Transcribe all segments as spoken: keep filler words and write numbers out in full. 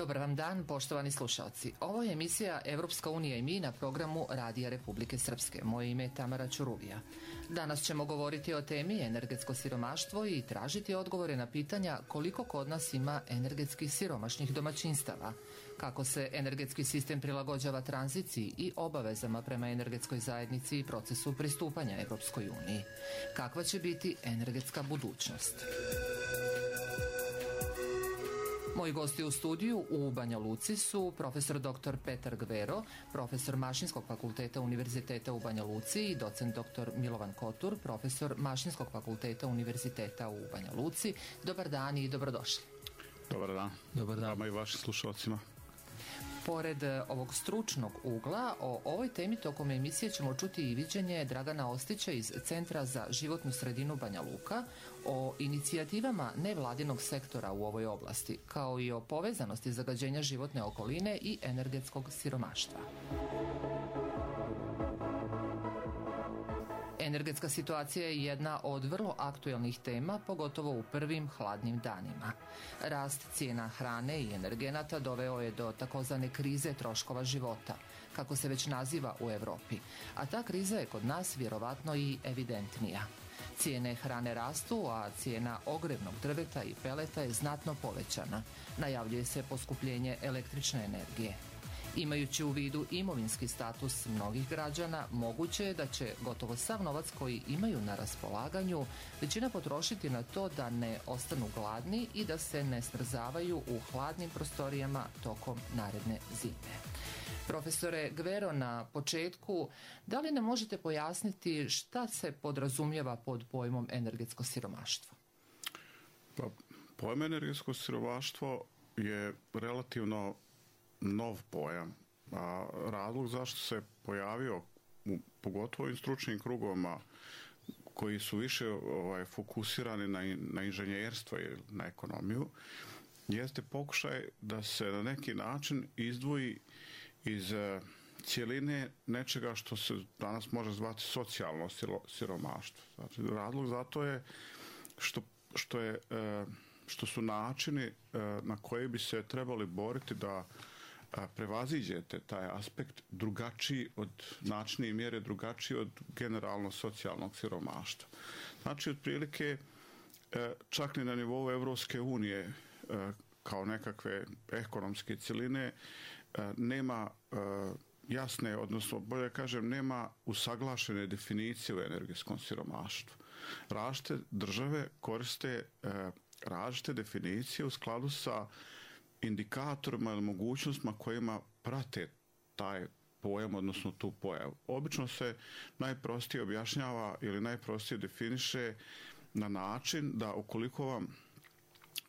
Dobar vam dan, poštovani slušalci. Ovo je emisija Evropska unija i mi na programu Radija Republike Srpske. Moje ime je Tamara Ćuruvija. Danas ćemo govoriti o temi energetsko siromaštvo i tražiti odgovore na pitanja koliko kod nas ima energetski siromašnih domaćinstava, kako se energetski sistem prilagođava tranziciji i obavezama prema energetskoj zajednici i procesu pristupanja Evropskoj uniji. Kakva će biti energetska budućnost? Moji gosti u studiju u Banja Luci su profesor doktor Petar Gvero, profesor Mašinskog fakulteta Univerziteta u Banja Luci i docent doktor Milovan Kotur, profesor Mašinskog fakulteta Univerziteta u Banja Luci. Dobar dan i dobrodošli. Dobar dan. Dobar dan. Vama i vašim slušalcima. Pored ovog stručnog ugla, o ovoj temi tokom emisije ćemo čuti i viđenje Dragana Ostića iz Centra za životnu sredinu Banja Luka, o inicijativama nevladinog sektora u ovoj oblasti, kao i o povezanosti zagađenja životne okoline i energetskog siromaštva. Energetska situacija je jedna od vrlo aktuelnih tema, pogotovo u prvim hladnim danima. Rast cijena hrane i energenata doveo je do takozvane krize troškova života, kako se već naziva u Evropi, a ta kriza je kod nas vjerovatno i evidentnija. Cijene hrane rastu, a cijena ogrevnog drveta i peleta je znatno povećana. Najavljuje se poskupljenje električne energije. Imajući u vidu imovinski status mnogih građana, moguće je da će gotovo sav novac koji imaju na raspolaganju većina potrošiti na to da ne ostanu gladni i da se ne smrzavaju u hladnim prostorijama tokom naredne zime. Profesore Gvero, na početku, da li nam možete pojasniti šta se podrazumijeva pod pojmom energetsko siromaštvo? Pa, pojam energetsko siromaštvo je relativno nov pojam, a razlog zašto se pojavio u, pogotovo u stručnim krugovima koji su više ovaj, fokusirani na, na inženjerstvo i na ekonomiju, jeste pokušaj da se na neki način izdvoji iz uh, cjeline nečega što se danas može zvati socijalno siromaštvo. Znači, razlog za to je što, što, je, uh, što su načini uh, na koje bi se trebali boriti da prevaziđete taj aspekt drugačiji od načina i mjere, drugačiji od generalno socijalnog siromaštva. Znači, otprilike, čak ni na nivou Evropske unije kao nekakve ekonomske cjeline nema jasne, odnosno bolje kažem, nema usaglašene definicije o energetskom siromaštvu. Različite države koriste različite definicije u skladu sa indikatorima ili mogućnostima kojima prate taj pojam, odnosno tu pojavu. Obično se najprostije objašnjava ili najprostije definiše na način da ukoliko vam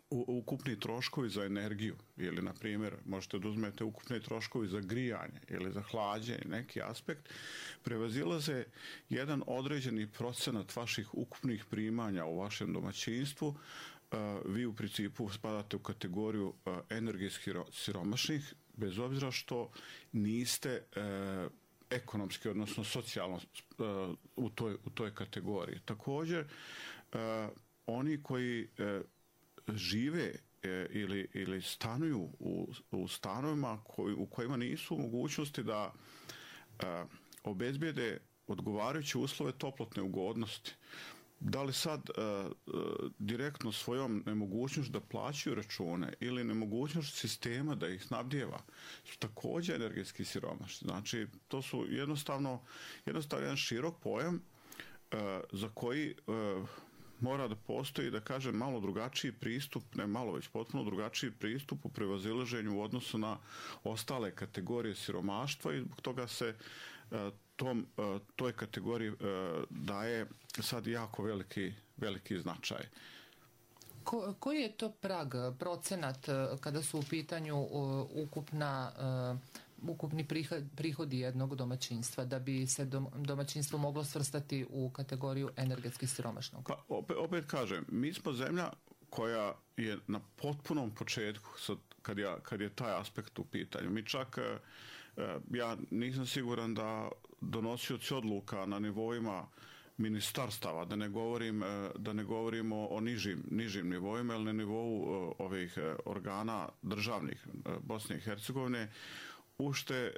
ukupni troškovi za energiju ili, na primjer, možete da uzmete ukupni troškovi za grijanje ili za hlađenje, neki aspekt, prevazilaze jedan određeni procenat vaših ukupnih primanja u vašem domaćinstvu, vi u principu spadate u kategoriju energetski siromašnih, bez obzira što niste ekonomski, odnosno socijalno u toj, u toj kategoriji. Također, oni koji žive ili, ili stanuju u, u stanovima koji, u kojima nisu u mogućnosti da obezbijede odgovarajuće uslove toplotne ugodnosti, da li sad uh, uh, direktno svojom nemogućnošću da plaćaju račune ili nemogućnošću sistema da ih snabdijeva su također energetski siromašni. Znači, to su jednostavno, jednostavno jedan širok pojam uh, za koji uh, mora da postoji, da kažem, malo drugačiji pristup, ne malo, već potpuno drugačiji pristup u prevazilaženju u odnosu na ostale kategorije siromaštva i zbog toga se uh, tom, uh, toj kategoriji uh, daje sad jako veliki, veliki značaj. Ko, koji je to prag, procenat kada su u pitanju uh, ukupna uh, ukupni prihod, prihodi jednog domaćinstva, da bi se dom, domaćinstvo moglo svrstati u kategoriju energetski siromašnog? Pa opet, opet kažem, mi smo zemlja koja je na potpunom početku sad, kad, ja, kad je taj aspekt u pitanju. Mi čak, ja nisam siguran da donosioci odluka na nivoima ministarstava, da ne govorim, da ne govorimo o nižim, nižim nivoima, ili na nivou ovih organa državnih Bosne i Hercegovine, ušte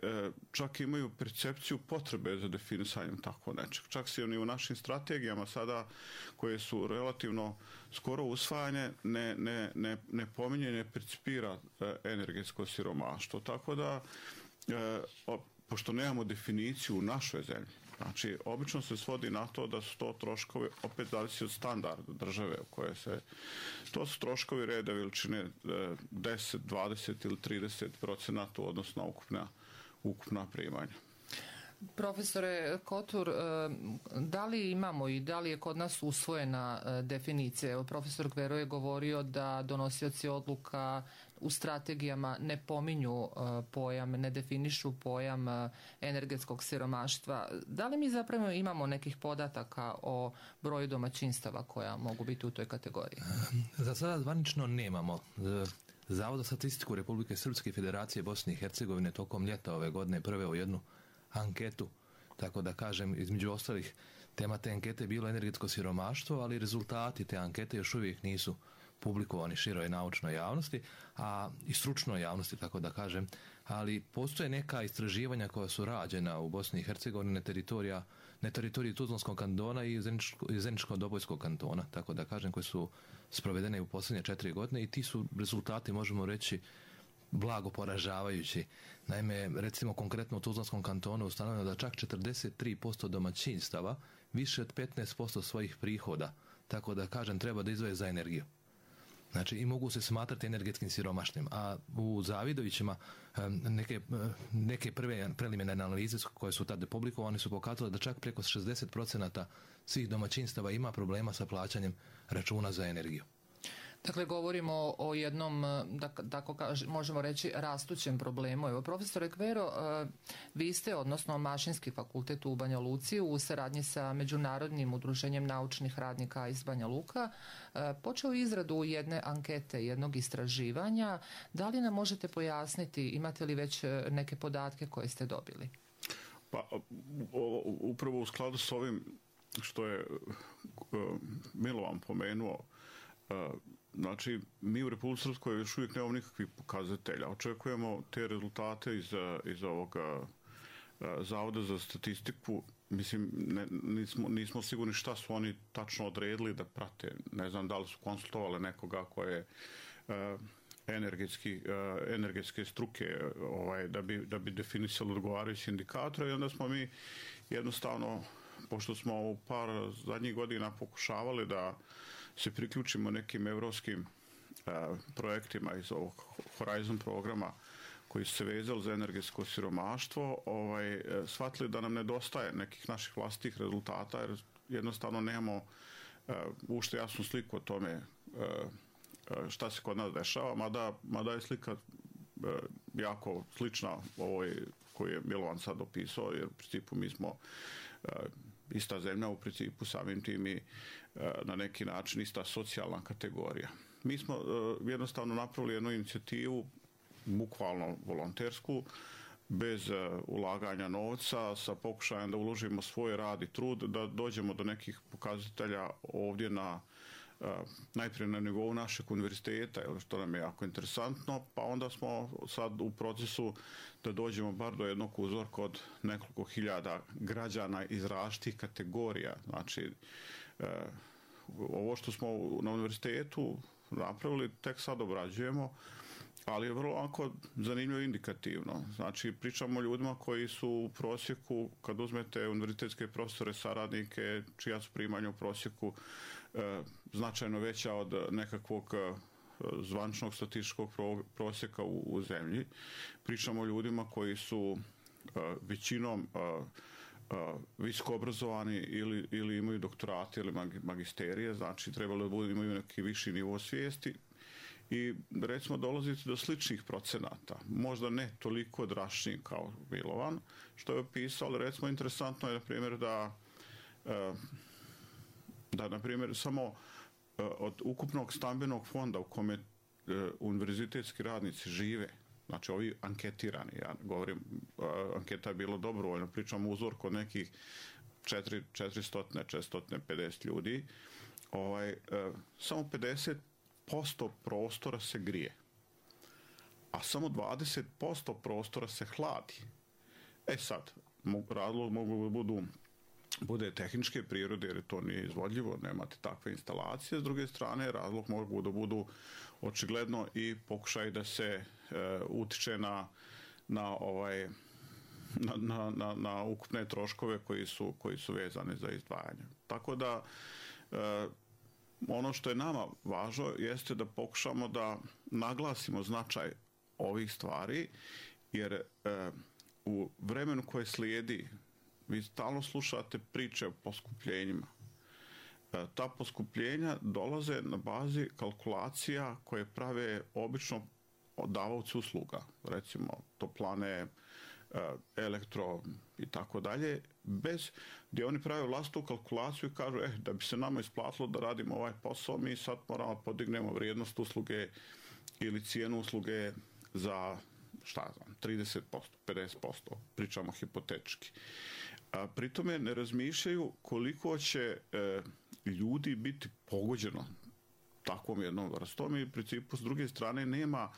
čak imaju percepciju potrebe za definisanjem tako nečeg. Čak se oni u našim strategijama sada, koje su relativno skoro usvajanje, ne, ne, ne, ne pominje, ne percipira energetsko siromaštvo. Tako da, pošto nemamo definiciju u našoj zemlji, znači, obično se svodi na to da su to troškovi, opet zavisi od standarda države u koje se, to su troškovi reda veličine deset, dvadeset ili trideset procenata odnosno ukupna, ukupna primanja. Profesore Kotur, da li imamo i da li je kod nas usvojena definicija? Profesor Gvero je govorio da donosioci odluka u strategijama ne pominju pojam, ne definišu pojam energetskog siromaštva. Da li mi zapravo imamo nekih podataka o broju domaćinstava koja mogu biti u toj kategoriji? Za sada zvanično nemamo. Zavod za statistiku Republike Srpske i Federacije Bosne i Hercegovine tokom ljeta ove godine preveo jednu anketu, tako da kažem, između ostalih tema te ankete je bilo energetsko siromaštvo, ali rezultati te ankete još uvijek nisu publikovani široj naučnoj javnosti, a i stručnoj javnosti, tako da kažem, ali postoje neka istraživanja koja su rađena u Bosni i Hercegovini na teritorija, na teritoriji Tuzlanskog kantona i Zeničko-Dobojskog kantona, tako da kažem, koje su sprovedene u posljednje četiri godine i ti su rezultati, možemo reći, blago poražavajući. Naime, recimo konkretno u Tuzlanskom kantonu ustanovljeno da čak četrdeset tri posto domaćinstava više od petnaest posto svojih prihoda, tako da kažem, treba da izdvoje za energiju. Znači, i mogu se smatrati energetskim siromašnim. A u Zavidovićima neke, neke prve preliminarne analize koje su tada publikovane su pokazale da čak preko šezdeset procenata svih domaćinstava ima problema sa plaćanjem računa za energiju. Dakle, govorimo o jednom, da, tako kaž, možemo reći, rastućem problemu. Evo, profesore Gvero, vi ste, odnosno Mašinski fakultet u Banja Luci, u saradnji sa Međunarodnim udruženjem naučnih radnika iz Banja Luka, počeo izradu jedne ankete, jednog istraživanja. Da li nam možete pojasniti, imate li već neke podatke koje ste dobili? Pa, upravo u skladu s ovim što je Milovan pomenuo, znači, mi u Republici Srpskoj još uvijek nemamo nikakvih pokazatelja. Očekujemo te rezultate iz, iz ovog Zavoda za statistiku. Mislim, ne, nismo, nismo sigurni šta su oni tačno odredili da prate. Ne znam da li su konsultovali nekoga koje je energetski, energetske struke ovaj, da, bi, da bi definisali odgovarajući indikatore i onda smo mi jednostavno, pošto smo u par zadnjih godina pokušavali da se priključimo nekim evropskim a, projektima iz ovog Horizon programa koji su se vezali za energetsko siromaštvo, ovaj, shvatili da nam nedostaje nekih naših vlastitih rezultata jer jednostavno nemamo a, ušte jasnu sliku o tome a, šta se kod nas dešava, mada, mada je slika a, jako slična ovoj koju je Milovan sad opisao, jer u principu mi smo a, ista zemlja, u principu samim tim i na neki način ista socijalna kategorija. Mi smo uh, jednostavno napravili jednu inicijativu, bukvalno volontersku, bez uh, ulaganja novca, sa pokušajem da uložimo svoj rad i trud, da dođemo do nekih pokazatelja ovdje na uh, najprije na nivou našeg univerziteta, što nam je jako interesantno, pa onda smo sad u procesu da dođemo bar do jednog uzorka od nekoliko hiljada građana iz različitih kategorija. Znači, uh, ovo što smo na univerzitetu napravili tek sad obrađujemo, ali je vrlo onako zanimljivo indikativno. Znači, pričamo o ljudima koji su u prosjeku, kad uzmete univerzitetske profesore, saradnike, čija su primanja u prosjeku e, značajno veća od nekakvog e, zvaničnog statističkog pro, prosjeka u, u zemlji. Pričamo o ljudima koji su e, većinom e, Uh, visoko obrazovani ili, ili imaju doktorate ili magisterije, znači trebalo da budu, imaju neki viši nivo svijesti i recimo dolazite do sličnih procenata, možda ne toliko drastičnih kao Milovan, što je opisao, ali recimo interesantno je na primjer da uh, da na primjer samo uh, od ukupnog stambenog fonda u kome uh, univerzitetski radnici žive, znači ovi anketirani, ja govorim, anketa je bilo dobrovoljno, pričamo uzor kod nekih četiristo do četiristo pedeset ljudi, ovaj, samo pedeset posto prostora se grije, a samo dvadeset posto prostora se hladi. E sad, razlog mogu da budu bude tehničke prirode, jer to nije izvodljivo, nemate takve instalacije. S druge strane, razlog mogu da budu očigledno i pokušaj da se e, utiče na, na, ovaj, na, na, na, na ukupne troškove koji su, koji su vezani za izdvajanje. Tako da, e, ono što je nama važno jeste da pokušamo da naglasimo značaj ovih stvari, jer e, u vremenu koje slijedi vi stalno slušate priče o poskupljenjima. E, ta poskupljenja dolaze na bazi kalkulacija koje prave obično davaoci usluga, recimo toplane, e, elektro i tako dalje, bez gdje oni prave vlastitu kalkulaciju i kažu, eh, da bi se nama isplatilo da radimo ovaj posao, mi sad moramo podignemo vrijednost usluge ili cijenu usluge za, šta znam, trideset posto, pedeset posto, pričamo hipotetički. A pri tome ne razmišljaju koliko će e, ljudi biti pogođeno takvom jednom vrstom i u principu s druge strane nema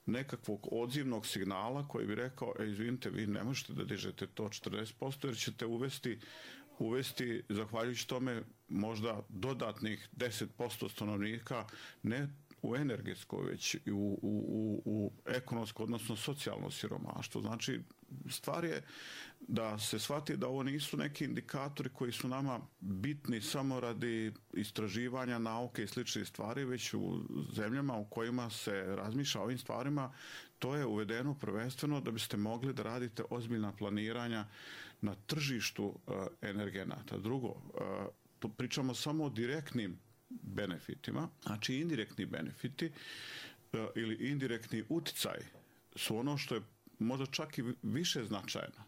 nekakvog odzivnog signala koji bi rekao, e, izvinite, vi ne možete da dižete to četrdeset posto jer ćete uvesti, uvesti zahvaljujući tome možda dodatnih deset posto stanovnika ne u energetsko, već i u, u, u, u ekonomsko, odnosno socijalno siromaštvo. Znači, stvar je da se shvati da ovo nisu neki indikatori koji su nama bitni samo radi istraživanja nauke i sličnih stvari, već u zemljama u kojima se razmišlja o ovim stvarima, to je uvedeno prvenstveno da biste mogli da radite ozbiljna planiranja na tržištu uh, energenata. Drugo, uh, tu pričamo samo o direktnim benefitima, znači indirektni benefiti uh, ili indirektni uticaj su ono što je možda čak i više značajno.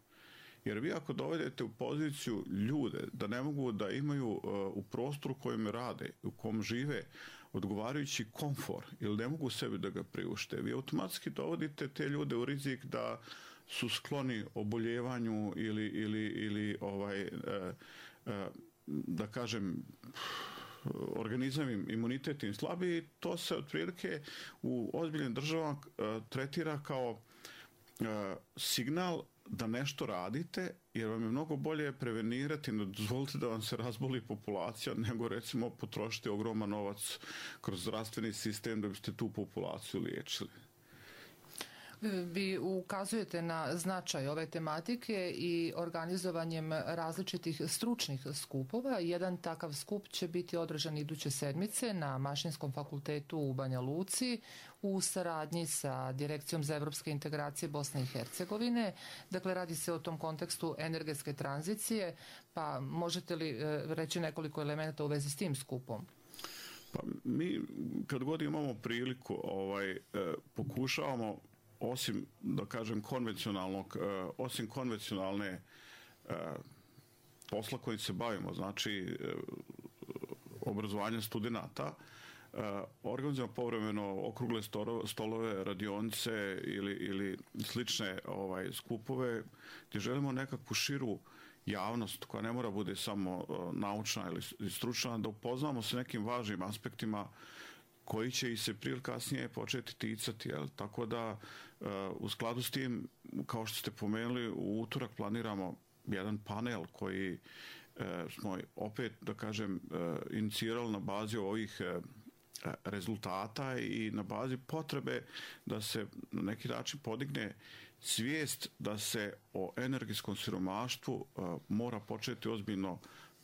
Jer vi ako dovedete u poziciju ljude da ne mogu da imaju uh, u prostoru u kojem rade, u kom žive, odgovarajući komfor ili ne mogu sebi da ga priušte, vi automatski dovodite te ljude u rizik da su skloni oboljevanju ili, ili, ili ovaj, uh, uh, da kažem, organizam im, imunitet im slabiji, to se otprilike u ozbiljnim državama uh, tretira kao uh, signal da nešto radite, jer vam je mnogo bolje prevenirati, ne dozvolite da vam se razboli populacija, nego recimo potrošiti ogroman novac kroz zdravstveni sistem da biste tu populaciju liječili. Vi ukazujete na značaj ove tematike i organizovanjem različitih stručnih skupova. Jedan takav skup će biti održan iduće sedmice na Mašinskom fakultetu u Banja Luci u saradnji sa Direkcijom za evropske integracije Bosne i Hercegovine. Dakle, radi se o tom kontekstu energetske tranzicije, pa možete li reći nekoliko elemenata u vezi s tim skupom? Pa mi kad god imamo priliku ovaj, eh, pokušavamo osim, da kažem, konvencionalnog, uh, osim konvencionalne uh, posla kojim se bavimo, znači uh, obrazovanje studenata, uh, organizujemo povremeno okrugle stolove, radionice ili, ili slične ovaj, skupove gdje želimo nekakvu širu javnost koja ne mora bude samo uh, naučna ili stručna, da upoznamo se nekim važnim aspektima koji će i se prije ili kasnije početi ticati. Jel? Tako da u skladu s tim, kao što ste pomenuli, u utorak planiramo jedan panel koji smo opet, da kažem, inicirali na bazi ovih rezultata i na bazi potrebe da se na neki način podigne svijest da se o energetskom siromaštvu mora početi ozbiljno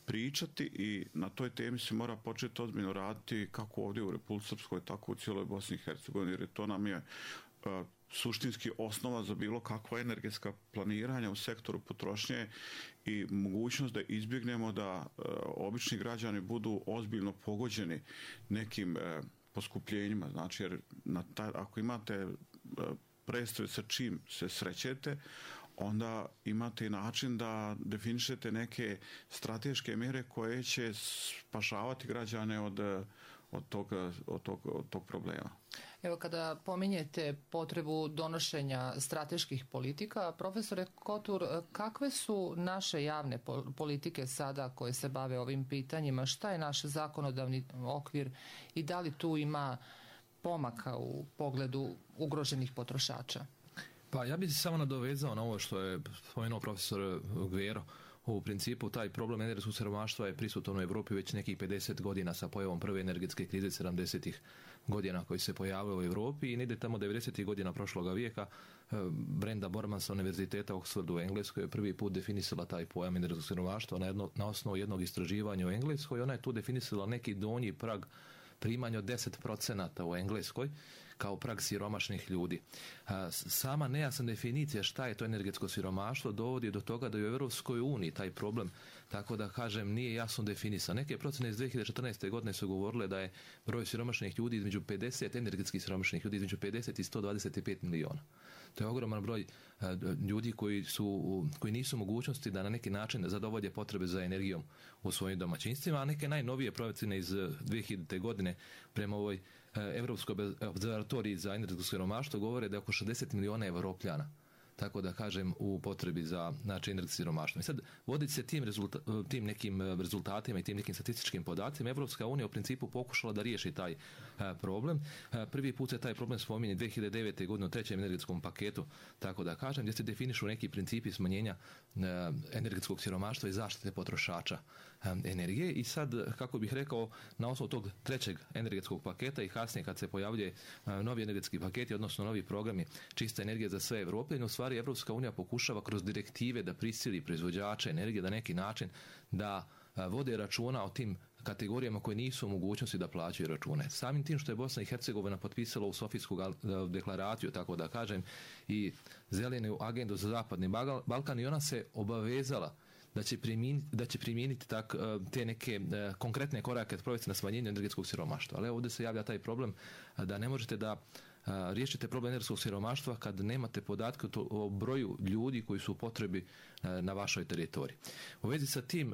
pričati i na toj temi se mora početi ozbiljno raditi kako ovdje u Republici Srpskoj, tako u cijeloj Bosni i Hercegovini, jer to nam je uh, suštinski osnova za bilo kakva energetska planiranja u sektoru potrošnje i mogućnost da izbjegnemo da uh, obični građani budu ozbiljno pogođeni nekim uh, poskupljenjima. Znači, jer na taj, ako imate uh, predstave sa čim se srećete, onda imate i način da definišete neke strateške mjere koje će spašavati građane od od tog, od tog, od tog problema. Evo, kada pominjete potrebu donošenja strateških politika, profesore Kotur, kakve su naše javne politike sada koje se bave ovim pitanjima? Šta je naš zakonodavni okvir i da li tu ima pomaka u pogledu ugroženih potrošača? Pa ja bih se samo nadovezao na ovo što je spomenuo profesor Gvero. U principu taj problem energetskog siromaštva je prisutan u Europi već nekih pedeset godina sa pojavom prve energetske krize sedamdesetih godina koji se pojavio u Europi i negdje tamo devedesetih godina prošloga vijeka Brenda Borman sa Univerziteta Oxfordu u Engleskoj je prvi put definisala taj pojam energetskog siromaštva na, jedno, na osnovu jednog istraživanja u Engleskoj. Ona je tu definisala neki donji prag primanja od deset procenata u Engleskoj kao prag siromašnih ljudi. Sama nejasna definicija šta je to energetsko siromaštvo dovodi do toga da je u Europskoj uniji taj problem, tako da kažem, nije jasno definisan. Neke procene iz dvije hiljade četrnaeste. godine su govorile da je broj siromašnih ljudi između pedeset, energetskih siromašnih ljudi između pedeset i sto dvadeset pet miliona. To je ogroman broj ljudi koji, su, koji nisu u mogućnosti da na neki način zadovolje potrebe za energijom u svojim domaćinstvima, a neke najnovije procene iz dvije hiljadite. godine prema ovoj Evropskoj observatoriji za energetsko siromaštvo govore da je oko šezdeset miliona Evropljana, tako da kažem, u potrebi za, znači, energetsko siromaštvo. I sad, voditi se tim, rezulta, tim nekim rezultatima i tim nekim statističkim podacima, Evropska unija u principu pokušala da riješi taj a, problem. A, prvi put se taj problem spominje dvije hiljade devete. godine u trećem energetskom paketu, tako da kažem, gdje se definišu neki principi smanjenja a, energetskog siromaštva i zaštite potrošača a, energije. I sad, kako bih rekao, na osnovu tog trećeg energetskog paketa i kasnije kad se pojavljuje a, novi energetski paketi, odnosno novi programi čista energija za sve Evropljane, u stvari Evropska unija pokušava kroz direktive da prisili proizvođače energije da neki način da vode računa o tim kategorijama koje nisu u mogućnosti da plaćaju račune. Samim tim što je Bosna i Hercegovina potpisala u Sofijsku deklaraciju, tako da kažem, i zelenu agendu za zapadni Balkan, i ona se obavezala da će primijeniti, da će primijeniti tak, te neke konkretne korake provesti na smanjenju energetskog siromaštva. Ali ovdje se javlja taj problem da ne možete da riješite problem energetskog siromaštva kad nemate podatke o broju ljudi koji su u potrebi na vašoj teritoriji. U vezi sa tim,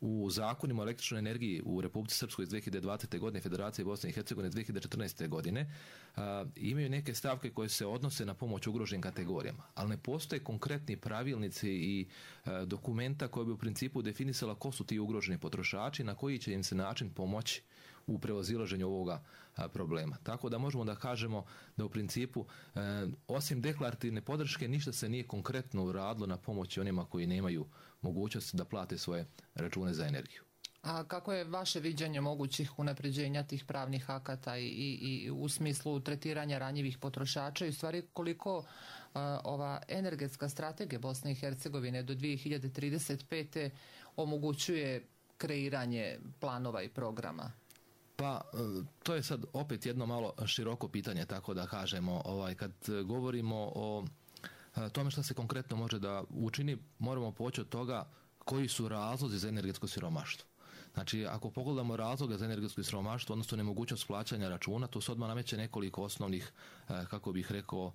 u zakonima o električnoj energiji u Republici Srpskoj iz dvije hiljade dvadesete. godine, Federacije Bosne i Hercegovine iz dvije hiljade četrnaeste. godine, a, imaju neke stavke koje se odnose na pomoć ugroženim kategorijama, ali ne postoje konkretni pravilnici i a, dokumenta koje bi u principu definisala ko su ti ugroženi potrošači, na koji će im se način pomoći u prevazilaženju ovoga a, problema. Tako da možemo da kažemo da u principu e, osim deklarativne podrške ništa se nije konkretno uradilo na pomoći onima koji nemaju mogućnost da plate svoje račune za energiju. A kako je vaše viđenje mogućih unapređenja tih pravnih akata i, i, i u smislu tretiranja ranjivih potrošača i u stvari koliko a, ova energetska strategija Bosne i Hercegovine do dvije hiljade trideset pete. omogućuje kreiranje planova i programa? Pa, to je sad opet jedno malo široko pitanje, tako da kažemo, ovaj, kad govorimo o tome što se konkretno može da učini, moramo poći od toga koji su razlozi za energetsko siromaštvo. Znači, ako pogledamo razloga za energetsko siromaštvo, odnosno nemogućnost plaćanja računa, to se odmah nameće nekoliko osnovnih, kako bih rekao,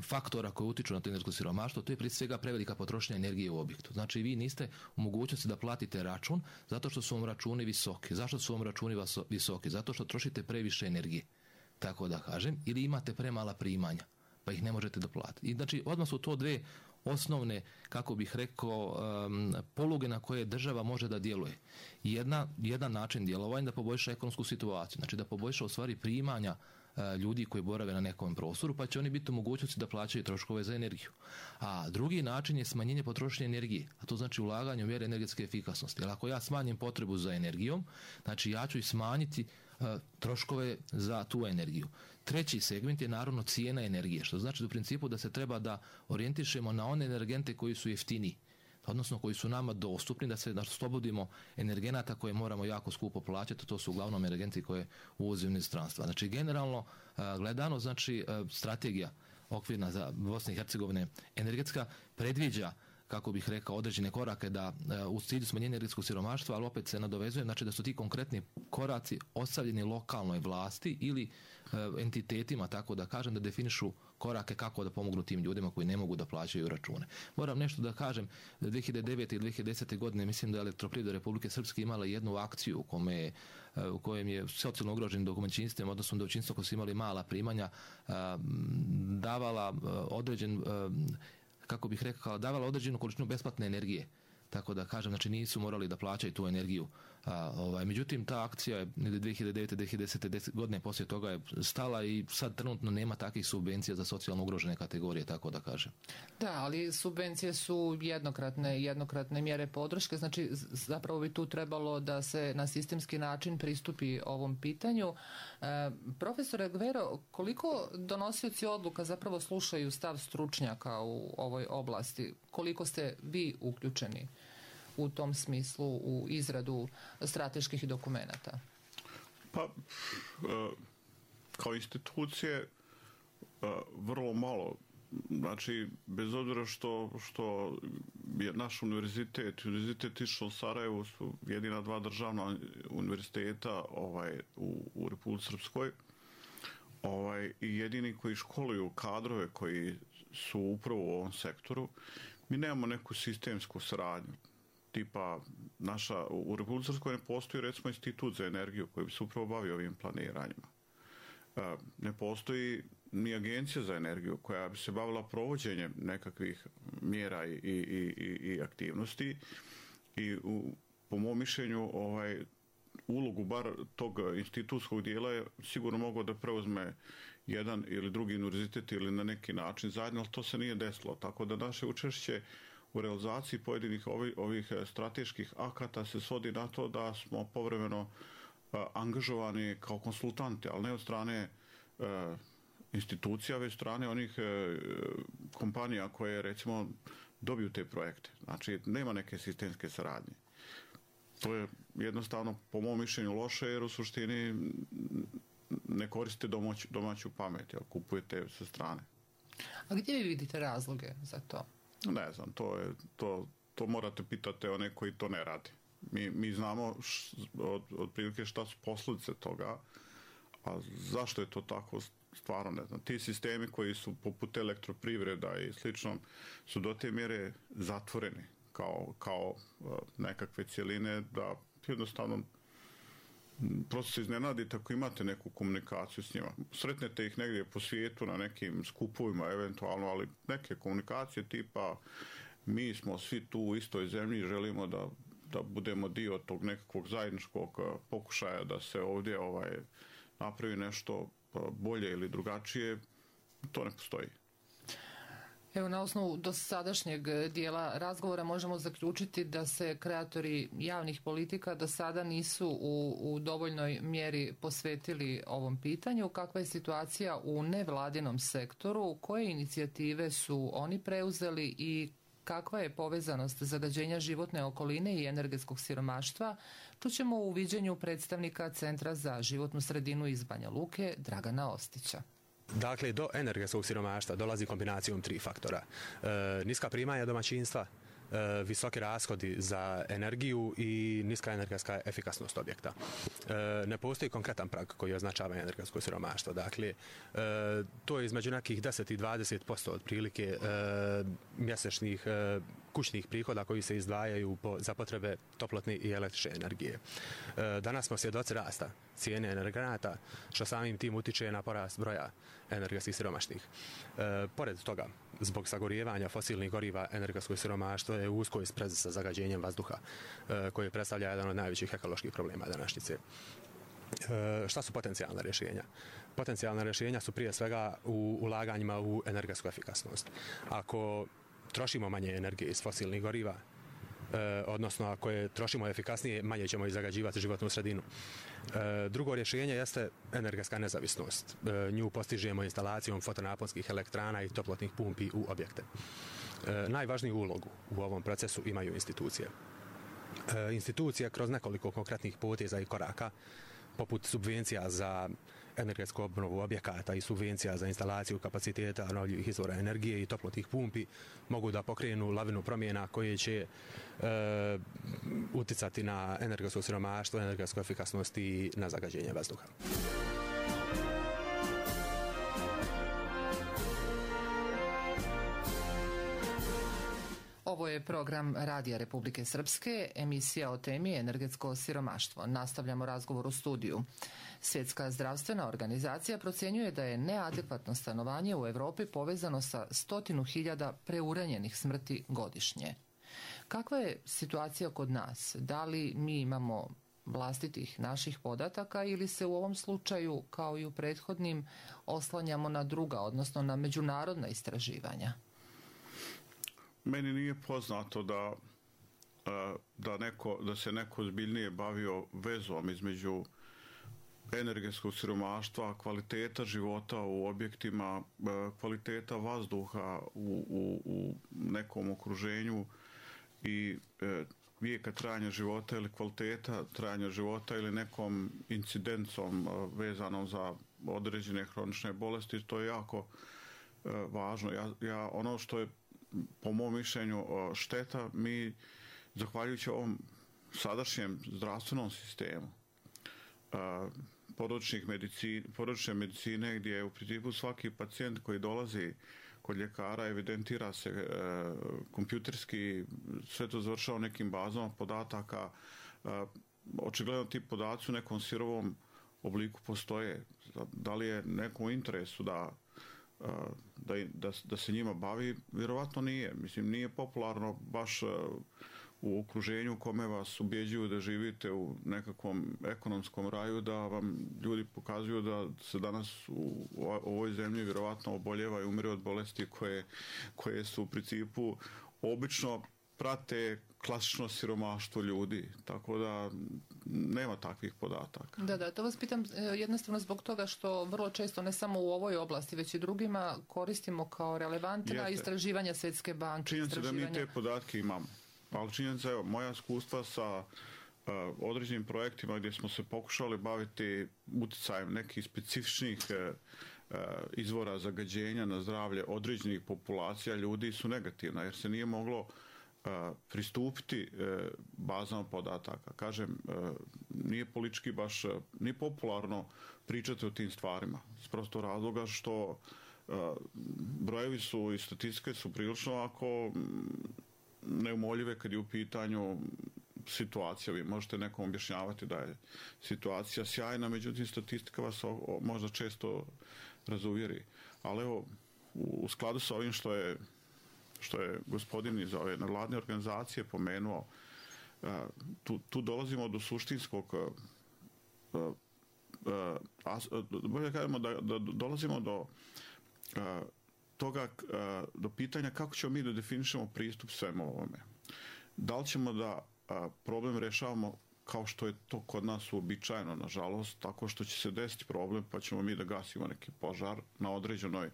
faktora koji utiču na to energetsko siromaštvo. To je prije svega prevelika potrošnja energije u objektu. Znači, vi niste u mogućnosti da platite račun zato što su vam računi visoki. Zašto su vam računi visoki? Zato što trošite previše energije, tako da kažem, ili imate premala primanja, pa ih ne možete doplatiti. I znači, odmah su to dve osnovne, kako bih rekao, um, poluge na koje država može da djeluje. Jedna, jedan način djelovanja da poboljša ekonomsku situaciju, znači da poboljša u stvari primanja uh, ljudi koji borave na nekom prostoru, pa će oni biti u mogućnosti da plaćaju troškove za energiju. A drugi način je smanjenje potrošnje energije, a to znači ulaganje u mjere energetske efikasnosti. Jer ako ja smanjim potrebu za energijom, znači ja ću i smanjiti uh, troškove za tu energiju. Treći segment je naravno cijena energije, što znači u principu da se treba da orijentišemo na one energente koji su jeftiniji, odnosno koji su nama dostupni, da se da oslobodimo energenata koje moramo jako skupo plaćati, to su uglavnom energenti koje uvozimo iz inostranstva. Znači generalno gledano, znači strategija okvirna za Bosne i Hercegovine energetska predviđa kako bih rekao, određene korake da u cilju smanjenja energetskog siromaštva, ali opet se nadovezuje, znači da su ti konkretni koraci ostavljeni lokalnoj vlasti ili entitetima, tako da kažem, da definišu korake kako da pomognu tim ljudima koji ne mogu da plaćaju račune. Moram nešto da kažem, dvije hiljade devete i dvije hiljade desete. godine mislim da je Elektroprivreda Republike Srpske imala jednu akciju u, kome, u kojem je socijalno ugroženim domaćinstvima, odnosno domaćinstva koji su imali mala primanja, davala određen, kako bih rekao, davala određenu količinu besplatne energije. Tako da kažem, znači nisu morali da plaćaju tu energiju. A, ovaj, međutim, ta akcija je dvije hiljade devete. dvije hiljade desete. godine poslije toga je stala i sad trenutno nema takvih subvencija za socijalno ugrožene kategorije, tako da kažem. Da, ali subvencije su jednokratne, jednokratne mjere podrške, znači zapravo bi tu trebalo da se na sistemski način pristupi ovom pitanju. E, profesore Gvero, koliko donosioci odluka zapravo slušaju stav stručnjaka u ovoj oblasti? Koliko ste vi uključeni u tom smislu u izradu strateških dokumenata? Pa, kao institucije vrlo malo. Znači, bez obzira što, što je naš univerzitet, univerzitet išao u Sarajevu su jedina dva državna univerziteta ovaj, u, u Republici Srpskoj ovaj, i jedini koji školuju kadrove koji su upravo u ovom sektoru. Mi nemamo neku sistemsku saradnju. Tipa, naša, u Republici Srpskoj ne postoji recimo institut za energiju koji bi se upravo bavio ovim planiranjima. Ne postoji ni agencija za energiju koja bi se bavila provođenjem nekakvih mjera i, i, i, i aktivnosti i u, po mom mišljenju ovaj, ulogu bar tog institutskog dijela je sigurno mogao da preuzme jedan ili drugi univerzitet ili na neki način zajedno, ali to se nije desilo. Tako da naše učešće u realizaciji pojedinih ovih, ovih strateških akata se svodi na to da smo povremeno uh, angažovani kao konsultanti, ali ne od strane uh, institucija, već strane onih uh, kompanija koje recimo dobiju te projekte. Znači, nema neke sistemske saradnje. To je jednostavno, po mom mišljenju, loše, jer u suštini ne koriste domać, domaću pamet, jel, kupujete sa strane. A gdje vi vidite razloge za to? Ne znam, to, je, to, to morate pitati one koji to ne rade. Mi, mi znamo š, od, od prilike šta su posljedice toga, a zašto je to tako, stvarno ne znam. Ti sistemi koji su poput Elektroprivreda i slično su do te mjere zatvoreni kao, kao nekakve cjeline da jednostavno prosto se iznenadite ako imate neku komunikaciju s njima. Sretnete ih negdje po svijetu na nekim skupovima eventualno, ali neke komunikacije tipa mi smo svi tu u istoj zemlji i želimo da, da budemo dio tog nekakvog zajedničkog pokušaja da se ovdje ovaj, napravi nešto bolje ili drugačije, to ne postoji. Evo, na osnovu dosadašnjeg dijela razgovora možemo zaključiti da se kreatori javnih politika do sada nisu u, u dovoljnoj mjeri posvetili ovom pitanju. Kakva je situacija u nevladinom sektoru? Koje inicijative su oni preuzeli i kakva je povezanost zagađenja životne okoline i energetskog siromaštva? Čućemo u viđenju predstavnika Centra za životnu sredinu iz Banja Luke, Dragana Ostića. Dakle, do energetskog siromaštva dolazi kombinacijom tri faktora. E, niska primanja domaćinstva, e, visoki rashodi za energiju i niska energetska efikasnost objekta. E, ne postoji konkretan prag koji označava energetsko siromaštvo. Dakle, e, to je između nekih deset i dvadeset posto otprilike e, mjesečnih e, kućnih prihoda koji se izdvajaju po, za potrebe toplotne i električne energije. E, danas smo svjedoci rasta cijene energenata, što samim tim utiče na porast broja energetskih siromašnih. E, pored toga, zbog sagorijevanja fosilnih goriva, energetsko siromaštvo je u uskoj sprezi sa zagađenjem vazduha, e, koji predstavlja jedan od najvećih ekoloških problema današnjice. E, šta su potencijalna rješenja? Potencijalna rješenja su prije svega u ulaganjima u energetsku efikasnost. Ako trošimo manje energije iz fosilnih goriva, E, odnosno ako je trošimo efikasnije, manje ćemo i zagađivati životnu sredinu. E, drugo rješenje jeste energetska nezavisnost. E, nju postižemo instalacijom fotonaponskih elektrana i toplotnih pumpi u objekte. E, najvažniju ulogu u ovom procesu imaju institucije. E, institucije kroz nekoliko konkretnih poteza i koraka, poput subvencija za energetsku obnovu objekata i subvencija za instalaciju kapaciteta obnovljivih izvora energije i toplotnih pumpi mogu da pokrenu lavinu promjena koje će e, uticati na energetsko siromaštvo, energetsku efikasnost i na zagađenje vazduha. Ovo je program Radija Republike Srpske, emisija o temi energetsko siromaštvo. Nastavljamo razgovor u studiju. Svjetska zdravstvena organizacija procjenjuje da je neadekvatno stanovanje u Europi povezano sa stotinu hiljada preuranjenih smrti godišnje. Kakva je situacija kod nas? Da li mi imamo vlastitih naših podataka ili se u ovom slučaju, kao i u prethodnim, oslanjamo na druga, odnosno na međunarodna istraživanja? Meni nije poznato da, da, neko, da se neko ozbiljnije bavio vezom između energetskog siromaštva, kvaliteta života u objektima, kvaliteta vazduha u, u, u nekom okruženju i vijeka trajanja života ili kvaliteta trajanja života ili nekom incidencom vezanom za određene hronične bolesti. To je jako važno. Ja, ja, ono što je po mom mišljenju šteta, mi zahvaljujući ovom sadašnjem zdravstvenom sistemu područnih medicine, područne medicine gdje je u principu svaki pacijent koji dolazi kod ljekara evidentira se e, kompjuterski, sve to završava u nekim bazama podataka. E, očigledno ti podaci u nekom sirovom obliku postoje. Da li je nekom u interesu da Da, da, da se njima bavi, vjerovatno nije. Mislim, nije popularno baš u okruženju u kome vas ubjeđuju da živite u nekakvom ekonomskom raju, da vam ljudi pokazuju da se danas u, u ovoj zemlji vjerovatno oboljeva i umire od bolesti koje, koje su u principu obično prate klasično siromaštvo ljudi, tako da nema takvih podataka. Da, da, to vas pitam jednostavno zbog toga što vrlo često, ne samo u ovoj oblasti, već i drugima, koristimo kao relevantna Jeste. istraživanja Svjetske banke. Činjenica da mi te podatke imamo, ali činjenica, evo, moja iskustva sa uh, određenim projektima gdje smo se pokušali baviti utjecajem nekih specifičnih uh, uh, izvora zagađenja na zdravlje određenih populacija ljudi su negativna, jer se nije moglo pristupiti bazama podataka. Kažem, nije politički baš, nije popularno pričati o tim stvarima. S prostog razloga što brojevi su i statistike su prilično ako neumoljive kad je u pitanju situacija. Vi možete nekom objašnjavati da je situacija sjajna, međutim statistika vas možda često razuvjeri. Ali evo, u skladu sa ovim što je što je gospodin iz ove nevladne organizacije pomenuo, tu, tu dolazimo do suštinskog, bolje kažemo da, da dolazimo do toga, do pitanja kako ćemo mi da definišemo pristup svemu ovome. Da li ćemo da problem rešavamo kao što je to kod nas uobičajeno, nažalost, tako što će se desiti problem pa ćemo mi da gasimo neki požar na određenoj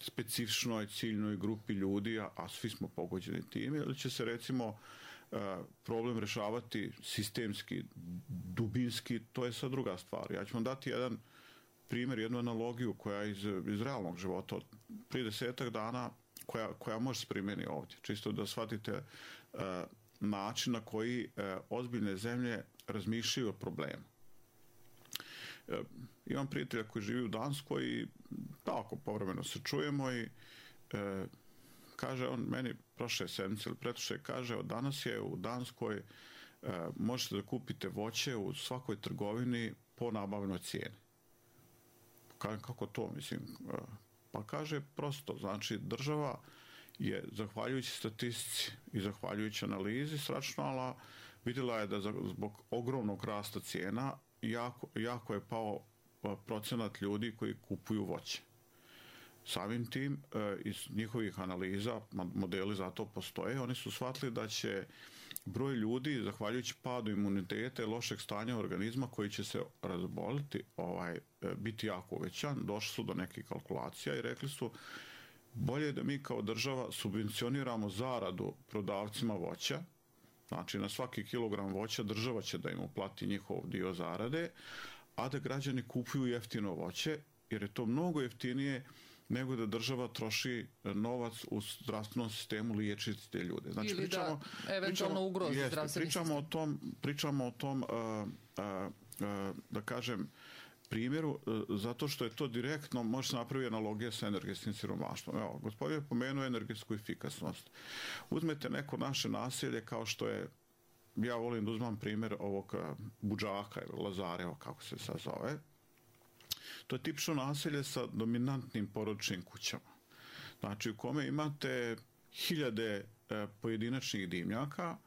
specifičnoj ciljnoj grupi ljudi, a svi smo pogođeni time, ili će se recimo problem rešavati sistemski, dubinski, to je sad druga stvar. Ja ću vam dati jedan primjer, jednu analogiju koja je iz, iz realnog života od prije desetak dana, koja, koja može se primjeni ovdje. Čisto da shvatite način na koji ozbiljne zemlje razmišljaju o problemu. Imam prijatelja koji živi u Danskoj i tako povremeno se čujemo i e, kaže on meni prošle sedmice ili pretprošle, kaže od danas je u Danskoj e, možete da kupite voće u svakoj trgovini po nabavnoj cijeni. Kažem, kako to, mislim, e, pa kaže prosto, znači država je zahvaljujući statistici i zahvaljujući analizi sračunala, vidjela je da zbog ogromnog rasta cijena jako, jako je pao procenat ljudi koji kupuju voće. Samim tim, iz njihovih analiza, modeli za to postoje, oni su shvatili da će broj ljudi, zahvaljujući padu imuniteta i lošeg stanja organizma koji će se razboliti, ovaj, biti jako uvećan. Došli su do nekih kalkulacija i rekli su bolje je da mi kao država subvencioniramo zaradu prodavcima voća, znači na svaki kilogram voća država će da im uplati njihov dio zarade, a da građani kupuju jeftino voće, jer je to mnogo jeftinije nego da država troši novac u zdravstvenom sistemu liječiti te ljude. Znači, ili pričamo, da eventualno ugrozi zdravstveni pričamo sistem. O tom, pričamo o tom, uh, uh, uh, da kažem, primjeru, zato što je to direktno, može se napraviti analogija sa energetskim siromaštvom. Evo, gospodin je pomenuo energetsku efikasnost. Uzmete neko naše naselje kao što je, ja volim da uzmam primjer ovog Budžaka ili Lazareva, kako se sad zove. To je tipično naselje sa dominantnim porodičnim kućama. Znači, u kome imate hiljade pojedinačnih dimnjaka,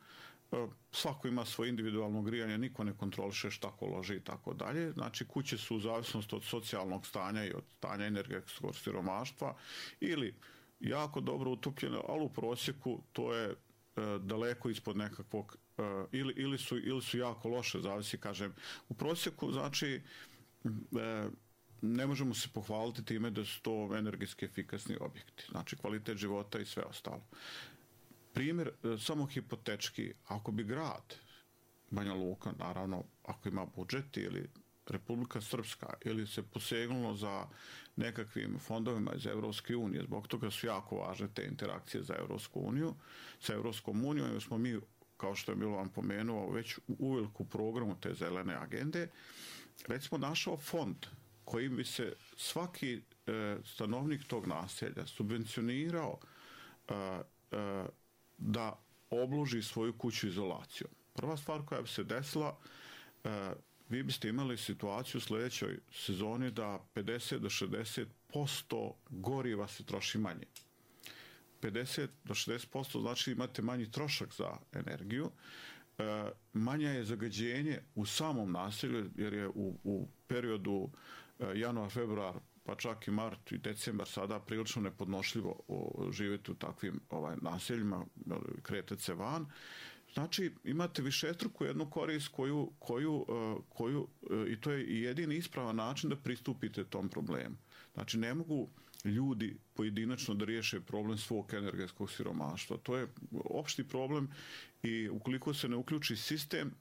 svako ima svoje individualno grijanje, niko ne kontroliše šta ko loži i tako dalje. Znači, kuće su u zavisnosti od socijalnog stanja i od stanja energetskog siromaštva ili jako dobro utopljene, ali u prosjeku to je e, daleko ispod nekakvog, e, ili, ili, su, ili su jako loše, zavisi, kažem. U prosjeku, znači, e, ne možemo se pohvaliti time da su to energetski efikasni objekti. Znači, kvalitet života i sve ostalo. Primjer, samo hipotečki, ako bi grad Banja Luka, naravno, ako ima budžet ili Republika Srpska ili se posegnulo za nekakvim fondovima iz Evropske unije, zbog toga su jako važne te interakcije za Evropsku uniju, sa Evropskom unijom, jer smo mi, kao što je Milovan pomenuo, već uveliko u programu te zelene agende, već smo našao fond kojim bi se svaki e, stanovnik tog naselja subvencionirao e, e, da obloži svoju kuću izolacijom. Prva stvar koja bi se desila, e, vi biste imali situaciju u sljedećoj sezoni da pedeset do šezdeset posto goriva se troši manje. pedeset do šezdeset posto znači imate manji trošak za energiju, e, manja je zagađenje u samom naselju, jer je u, u periodu e, januar, februar, pa čak i mart i decembar sada prilično nepodnošljivo živjeti u takvim ovaj, naseljima, kretati se van. Znači, imate višestruku jednu korist koju, koju, koju, i to je jedini ispravan način da pristupite tom problemu. Znači, ne mogu ljudi pojedinačno da riješe problem svog energetskog siromaštva. To je opšti problem i ukoliko se ne uključi sistem,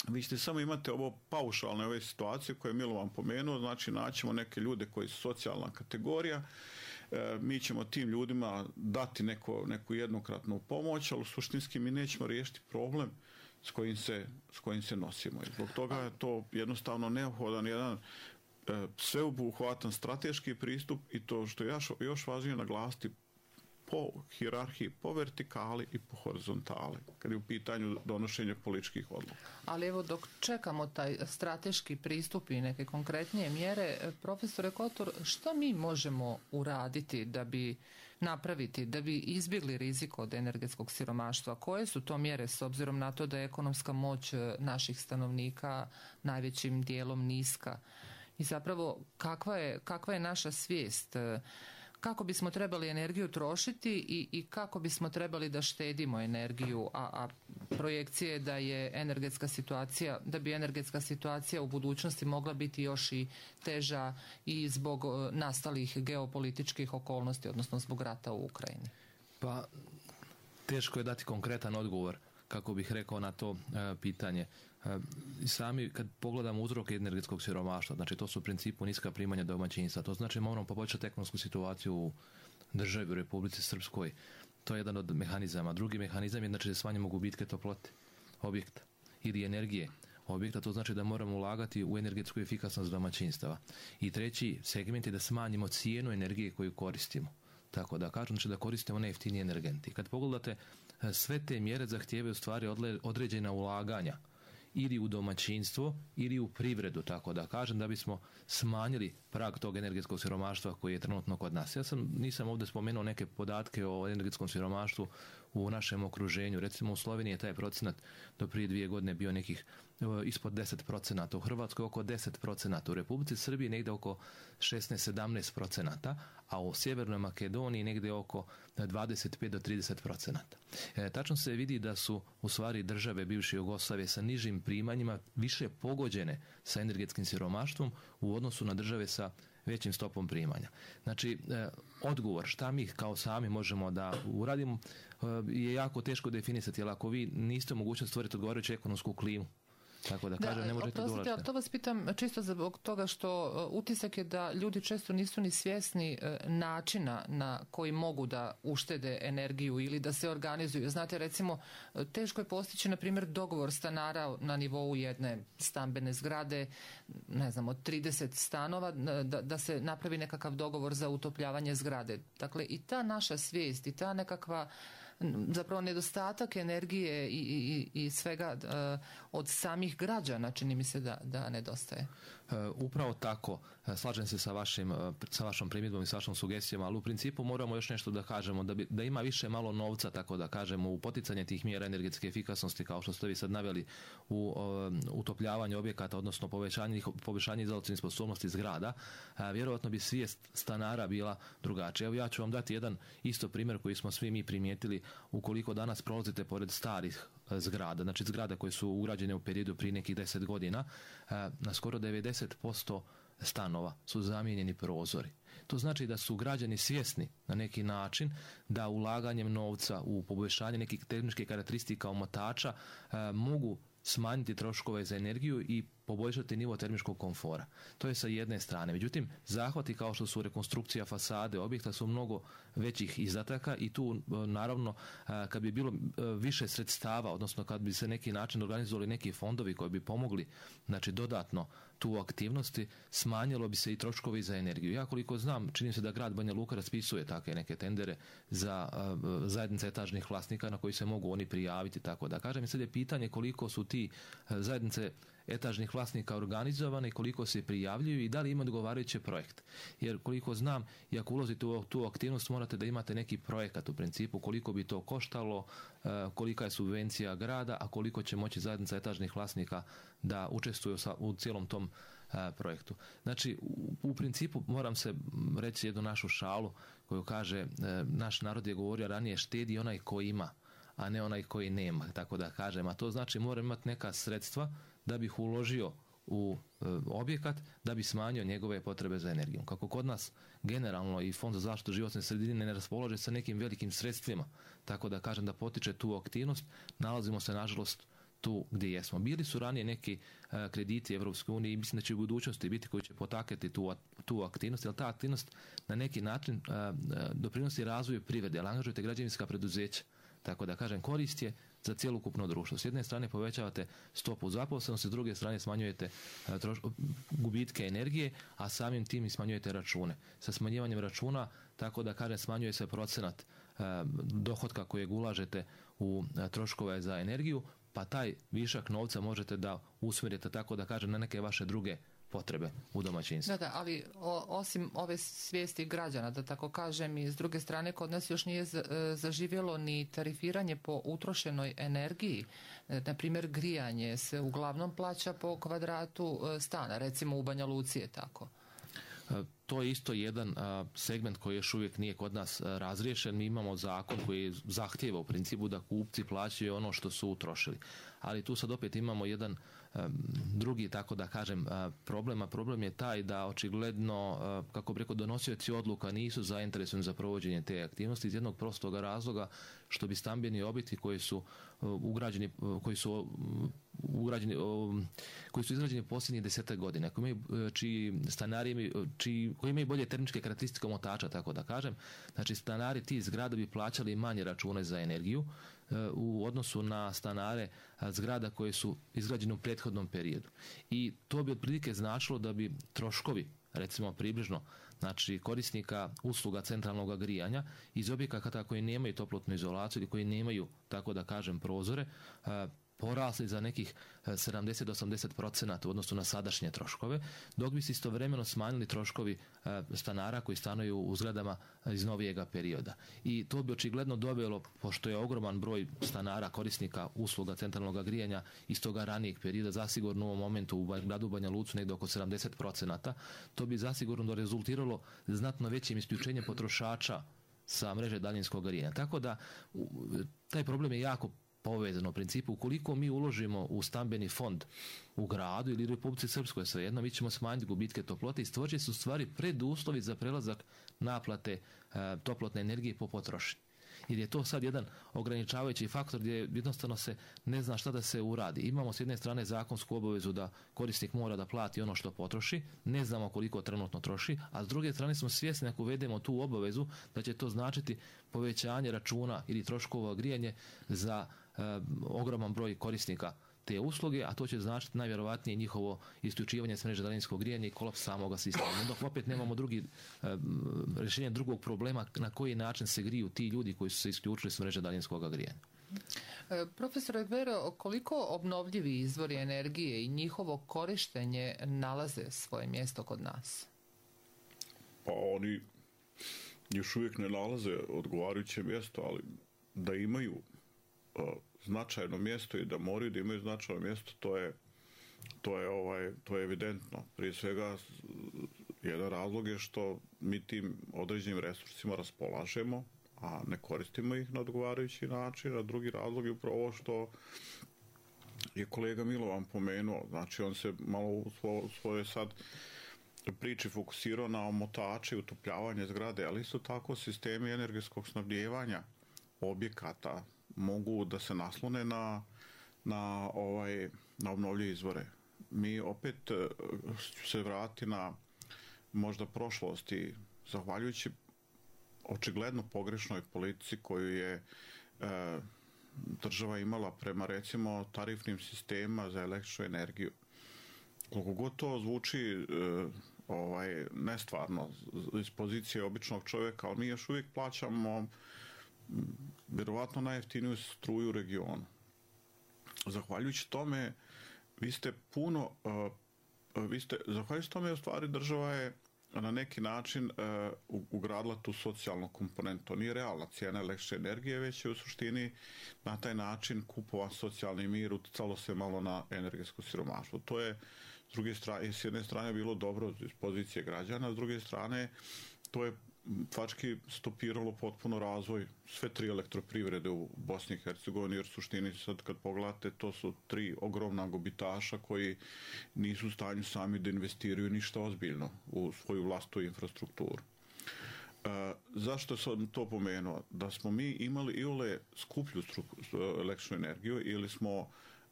vi ćete samo imate ovo paušalne ove situacije koje je Milovan pomenuo, znači naćemo neke ljude koji su socijalna kategorija, e, mi ćemo tim ljudima dati neko, neku jednokratnu pomoć, ali suštinski mi nećemo riješiti problem s kojim se, s kojim se nosimo. I zbog toga je to jednostavno neophodan jedan e, sveobuhvatan strateški pristup i to što je još, još važnije naglasiti po hijerarhiji, po vertikali i po horizontali, kad je u pitanju donošenja političkih odluka. Ali evo, dok čekamo taj strateški pristup i neke konkretnije mjere, profesore Kotur, što mi možemo uraditi da bi napraviti, da bi izbjegli rizik od energetskog siromaštva? Koje su to mjere s obzirom na to da je ekonomska moć naših stanovnika najvećim dijelom niska? I zapravo, kakva je, kakva je naša svijest? Kako bismo trebali energiju trošiti i, i kako bismo trebali da štedimo energiju, a, a projekcije je da je energetska situacija, da bi energetska situacija u budućnosti mogla biti još i teža i zbog nastalih geopolitičkih okolnosti, odnosno zbog rata u Ukrajini. Pa, teško je dati konkretan odgovor, kako bih rekao, na to e, pitanje. E, sami kad pogledamo uzroke energetskog siromaštva, znači to su u principu niska primanja domaćinstva, to znači moramo poboljšati ekonomsku situaciju u državi, u Republici Srpskoj. To je jedan od mehanizama. Drugi mehanizam je znači da smanjimo gubitke toplote objekta ili energije objekta, to znači da moramo ulagati u energetsku efikasnost domaćinstava. I treći segment je da smanjimo cijenu energije koju koristimo. Tako da kažem, znači da koristimo najjeftinije energenti. Kad pogledate, sve te mjere zahtijevaju stvari određena ulaganja ili u domaćinstvo ili u privredu, tako da kažem, da bismo smanjili prag tog energetskog siromaštva koji je trenutno kod nas. Ja sam, nisam ovdje spomenuo neke podatke o energetskom siromaštvu u našem okruženju. Recimo u Sloveniji je taj procenat do prije dvije godine bio nekih ispod deset procenata, u Hrvatskoj oko deset procenata, u Republici Srbiji negdje oko šesnaest do sedamnaest procenata, a u Sjevernoj Makedoniji negdje oko dvadeset pet do trideset procenata. E, tačno se vidi da su u stvari države bivše Jugoslavije sa nižim primanjima više pogođene sa energetskim siromaštvom u odnosu na države sa većim stopom primanja. Znači, e, odgovor šta mi kao sami možemo da uradimo e, je jako teško definisati, jer ako vi niste u mogućnosti stvoriti odgovarajuću ekonomsku klimu Tako da kažem, ne možete dolaziti. Ali to vas pitam čisto zbog toga što utisak je da ljudi često nisu ni svjesni načina na koji mogu da uštede energiju ili da se organizuju. Znate, recimo, teško je postići, na primjer, dogovor stanara na nivou jedne stambene zgrade, ne znam, od trideset stanova, da, da se napravi nekakav dogovor za utopljavanje zgrade. Dakle, i ta naša svijest i ta nekakva zapravo nedostatak energije i, i, i svega uh, od samih građana, čini mi se da, da nedostaje. Uh, upravo tako, slažem se sa, vašim, sa vašom primjedbom i sa vašom sugestijom, ali u principu moramo još nešto da kažemo, da, bi, da ima više malo novca, tako da kažemo, u poticanje tih mjera energetske efikasnosti, kao što ste vi sad naveli, u uh, utopljavanje objekata, odnosno povećanje, povećanje izolacijne sposobnosti zgrada, uh, vjerojatno bi svijest stanara bila drugačija. Evo ja ću vam dati jedan isto primjer koji smo svi mi primijetili. Ukoliko danas prolazite pored starih zgrada, znači zgrada koje su ugrađene u periodu prije nekih deset godina, na skoro devedeset posto stanova su zamijenjeni prozori. To znači da su građani svjesni na neki način da ulaganjem novca u poboljšanje nekih tehničkih karakteristika omotača mogu smanjiti troškove za energiju i poboljšati nivo termičkog komfora. To je sa jedne strane. Međutim, zahvati kao što su rekonstrukcija fasade objekta su mnogo većih izdataka i tu naravno kad bi bilo više sredstava, odnosno kad bi se neki način organizovali neki fondovi koji bi pomogli, znači dodatno tu aktivnosti, smanjilo bi se i troškovi za energiju. Ja koliko znam, čini se da grad Banja Luka raspisuje takve neke tendere za zajednice etažnih vlasnika na koji se mogu oni prijaviti, tako da kažem. I sad je pitanje koliko su ti zajednice etažnih vlasnika organizovane, koliko se prijavljuju i da li ima odgovarajući projekt. Jer koliko znam, i ako ulazite u tu aktivnost, morate da imate neki projekat u principu, koliko bi to koštalo, kolika je subvencija grada, a koliko će moći zajednica etažnih vlasnika da učestvuju u cijelom tom projektu. Znači, u, u principu moram se reći jednu našu šalu koju kaže, naš narod je govorio ranije, štedi onaj koji ima, a ne onaj koji nema, tako da kažem. A to znači moram imati neka sredstva da bih uložio u e, objekat, da bi smanjio njegove potrebe za energijom. Kako kod nas generalno i Fond za zaštitu životne sredine ne raspolaže sa nekim velikim sredstvima, tako da kažem da potiče tu aktivnost, nalazimo se nažalost tu gdje jesmo. Bili su ranije neki e, krediti Evropske unije i mislim da će u budućnosti biti koji će potakati tu, tu aktivnost, jer ta aktivnost na neki način e, doprinosi razvoju privrede, ali angažujete građevinska preduzeća. Tako da kažem, korist je za cjelokupno društvo. S jedne strane povećavate stopu zaposlenosti, s druge strane smanjujete troš, gubitke energije, a samim tim i smanjujete račune. Sa smanjivanjem računa, tako da kažem, smanjuje se procenat eh, dohotka kojeg ulažete u eh, troškove za energiju, pa taj višak novca možete da usmjerite, tako da kažem, na neke vaše druge potrebe u domaćinstvu. Da, da, ali o, osim ove svijesti građana, da tako kažem, i s druge strane kod nas još nije zaživjelo ni tarifiranje po utrošenoj energiji. Na primjer, grijanje se uglavnom plaća po kvadratu stana, recimo u Banja Luci je tako. To je isto jedan segment koji još uvijek nije kod nas razriješen. Mi imamo zakon koji zahtijeva u principu da kupci plaćaju ono što su utrošili. Ali tu sad opet imamo jedan drugi, tako da kažem, problem, a problem je taj da očigledno, kako bi rekao, donosioci odluka nisu zainteresovani za provođenje te aktivnosti iz jednog prostog razloga što bi stambeni objekti koji su ugrađeni, koji su ugrađeni, koji su izgrađeni posljednjih desetak godina, koji imaju, čiji stanari imaju, čiji, koji imaju bolje termičke karakteristike omotača, tako da kažem, znači stanari ti zgrada bi plaćali manje račune za energiju u odnosu na stanare zgrada koje su izgrađene u prethodnom periodu. I to bi otprilike značilo da bi troškovi, recimo približno, znači korisnika usluga centralnog grijanja iz objekata koji nemaju toplotnu izolaciju ili koji nemaju, tako da kažem, prozore, porasli za nekih sedamdeset do osamdeset procenata u odnosu na sadašnje troškove, dok bi se istovremeno smanjili troškovi stanara koji stanuju u zgradama iz novijega perioda. I to bi očigledno dovelo, pošto je ogroman broj stanara korisnika usluga centralnog grijanja iz toga ranijeg perioda, zasigurno u ovom momentu u gradu Banja Lucu negdje oko sedamdeset procenata, to bi zasigurno rezultiralo znatno većim isključenjem potrošača sa mreže daljinskog grijanja. Tako da taj problem je jako povezano u principu. Ukoliko mi uložimo u stambeni fond u gradu ili u Republici Srpskoj, svejedno, mi ćemo smanjiti gubitke toplote i stvorit su stvari preduslovi za prelazak naplate e, toplotne energije po potrošnji. jer je to sad jedan ograničavajući faktor gdje jednostavno se ne zna šta da se uradi. Imamo s jedne strane zakonsku obavezu da korisnik mora da plati ono što potroši, ne znamo koliko trenutno troši, a s druge strane smo svjesni ako uvedemo tu obavezu da će to značiti povećanje računa ili troškova grijanje za e, ogroman broj korisnika te usluge, a to će značiti najvjerovatnije njihovo isključivanje s mreže daljinskog grijanja i kolaps samoga sistema. Dok opet nemamo drugi, e, rješenje drugog problema na koji način se griju ti ljudi koji su se isključili s mreže daljinskog grijanja. E, profesor Egbero, koliko obnovljivi izvori energije i njihovo korištenje nalaze svoje mjesto kod nas? Pa oni još uvijek ne nalaze odgovarajuće mjesto, ali da imaju uh, značajno mjesto i da moraju da imaju značajno mjesto, to je, to je, ovaj, to je evidentno. Prije svega, jedan razlog je što mi tim određenim resursima raspolažemo, a ne koristimo ih na odgovarajući način, a drugi razlog je upravo ovo što je kolega Milovan pomenuo. Znači, on se malo u svojoj sad priči fokusirao na omotače i utopljavanje zgrade, ali isto tako sistemi energetskog snabdijevanja objekata mogu da se naslone na, na, ovaj, na obnovljive izvore. Mi opet ću se vratiti na možda prošlosti, zahvaljujući očigledno pogrešnoj politici koju je e, država imala prema recimo tarifnim sistemima za električnu energiju. Koliko god to zvuči e, ovaj, nestvarno iz pozicije običnog čovjeka, ali mi još uvijek plaćamo vjerovatno najjeftiniju struju u regionu. Zahvaljujući tome, vi ste puno, uh, vi ste, zahvaljujući tome, u stvari država je na neki način uh, ugradila tu socijalnu komponentu. To nije realna cijena električne energije, već je u suštini na taj način kupovan socijalni mir, uticalo se malo na energetsko siromaštvo. To je s druge strane, s jedne strane bilo dobro iz pozicije građana, s druge strane to je fački stopiralo potpuno razvoj sve tri elektroprivrede u Bosni i Hercegovini, jer u suštini sad kad pogledate to su tri ogromna gubitaša koji nisu u stanju sami da investiraju ništa ozbiljno u svoju vlastitu infrastrukturu. E, zašto sam to pomenuo? Da smo mi imali i ole skuplju električnu energiju ili smo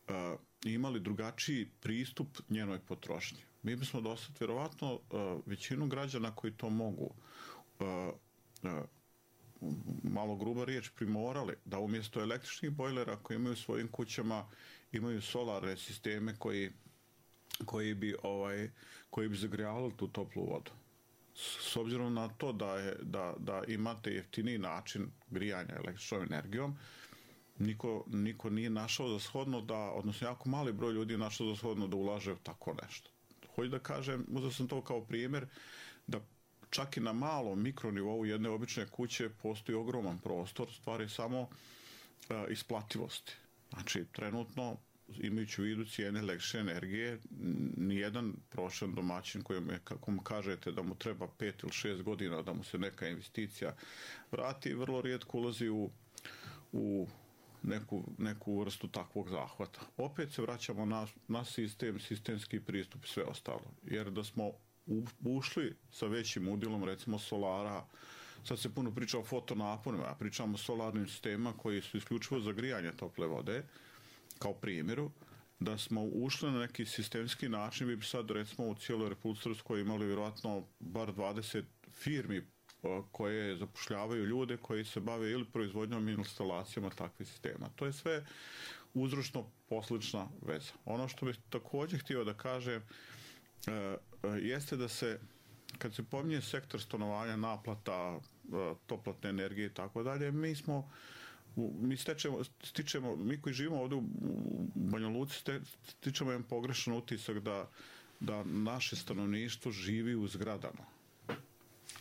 e, imali drugačiji pristup njenoj potrošnji. Mi bismo dosad vjerovatno e, većinu građana koji to mogu Uh, uh, malo gruba riječ primorali da umjesto električnih bojlera koji imaju u svojim kućama imaju solarne sisteme koji, koji bi ovaj koji bi zagrijavali tu toplu vodu. S, s obzirom na to da, je, da, da imate jeftiniji način grijanja električnom energijom, niko, niko nije našao za shodno da, odnosno jako mali broj ljudi je našao za shodno da ulaže u tako nešto. Hoću da kažem, uzeo sam to kao primjer da čak i na malom mikronivou jedne obične kuće postoji ogroman prostor, stvari samo uh, isplativosti. Znači, trenutno, imajući u vidu cijene električne energije, nijedan prošan domaćin kojem je, kako mu kažete da mu treba pet ili šest godina da mu se neka investicija vrati, vrlo rijetko ulazi u, u neku, neku vrstu takvog zahvata. Opet se vraćamo na, na sistem, sistemski pristup i sve ostalo. Jer da smo ušli sa većim udjelom, recimo solara, sad se puno priča o fotonaponima, a pričamo o solarnim sistemima koji su isključivo za grijanje tople vode, kao primjeru, da smo ušli na neki sistemski način, vi bi sad recimo u cijeloj Republici Srpskoj imali vjerojatno bar dvadeset firmi koje zapošljavaju ljude koji se bave ili proizvodnjom ili instalacijama takvih sistema. To je sve uzročno poslična veza. Ono što bih također htio da kažem jeste da se, kad se pominje sektor stanovanja, naplata, toplotne energije i tako dalje, mi smo, mi stečemo, stičemo, mi koji živimo ovdje u Banja Luci, stičemo jedan pogrešan utisak da, da naše stanovništvo živi u zgradama,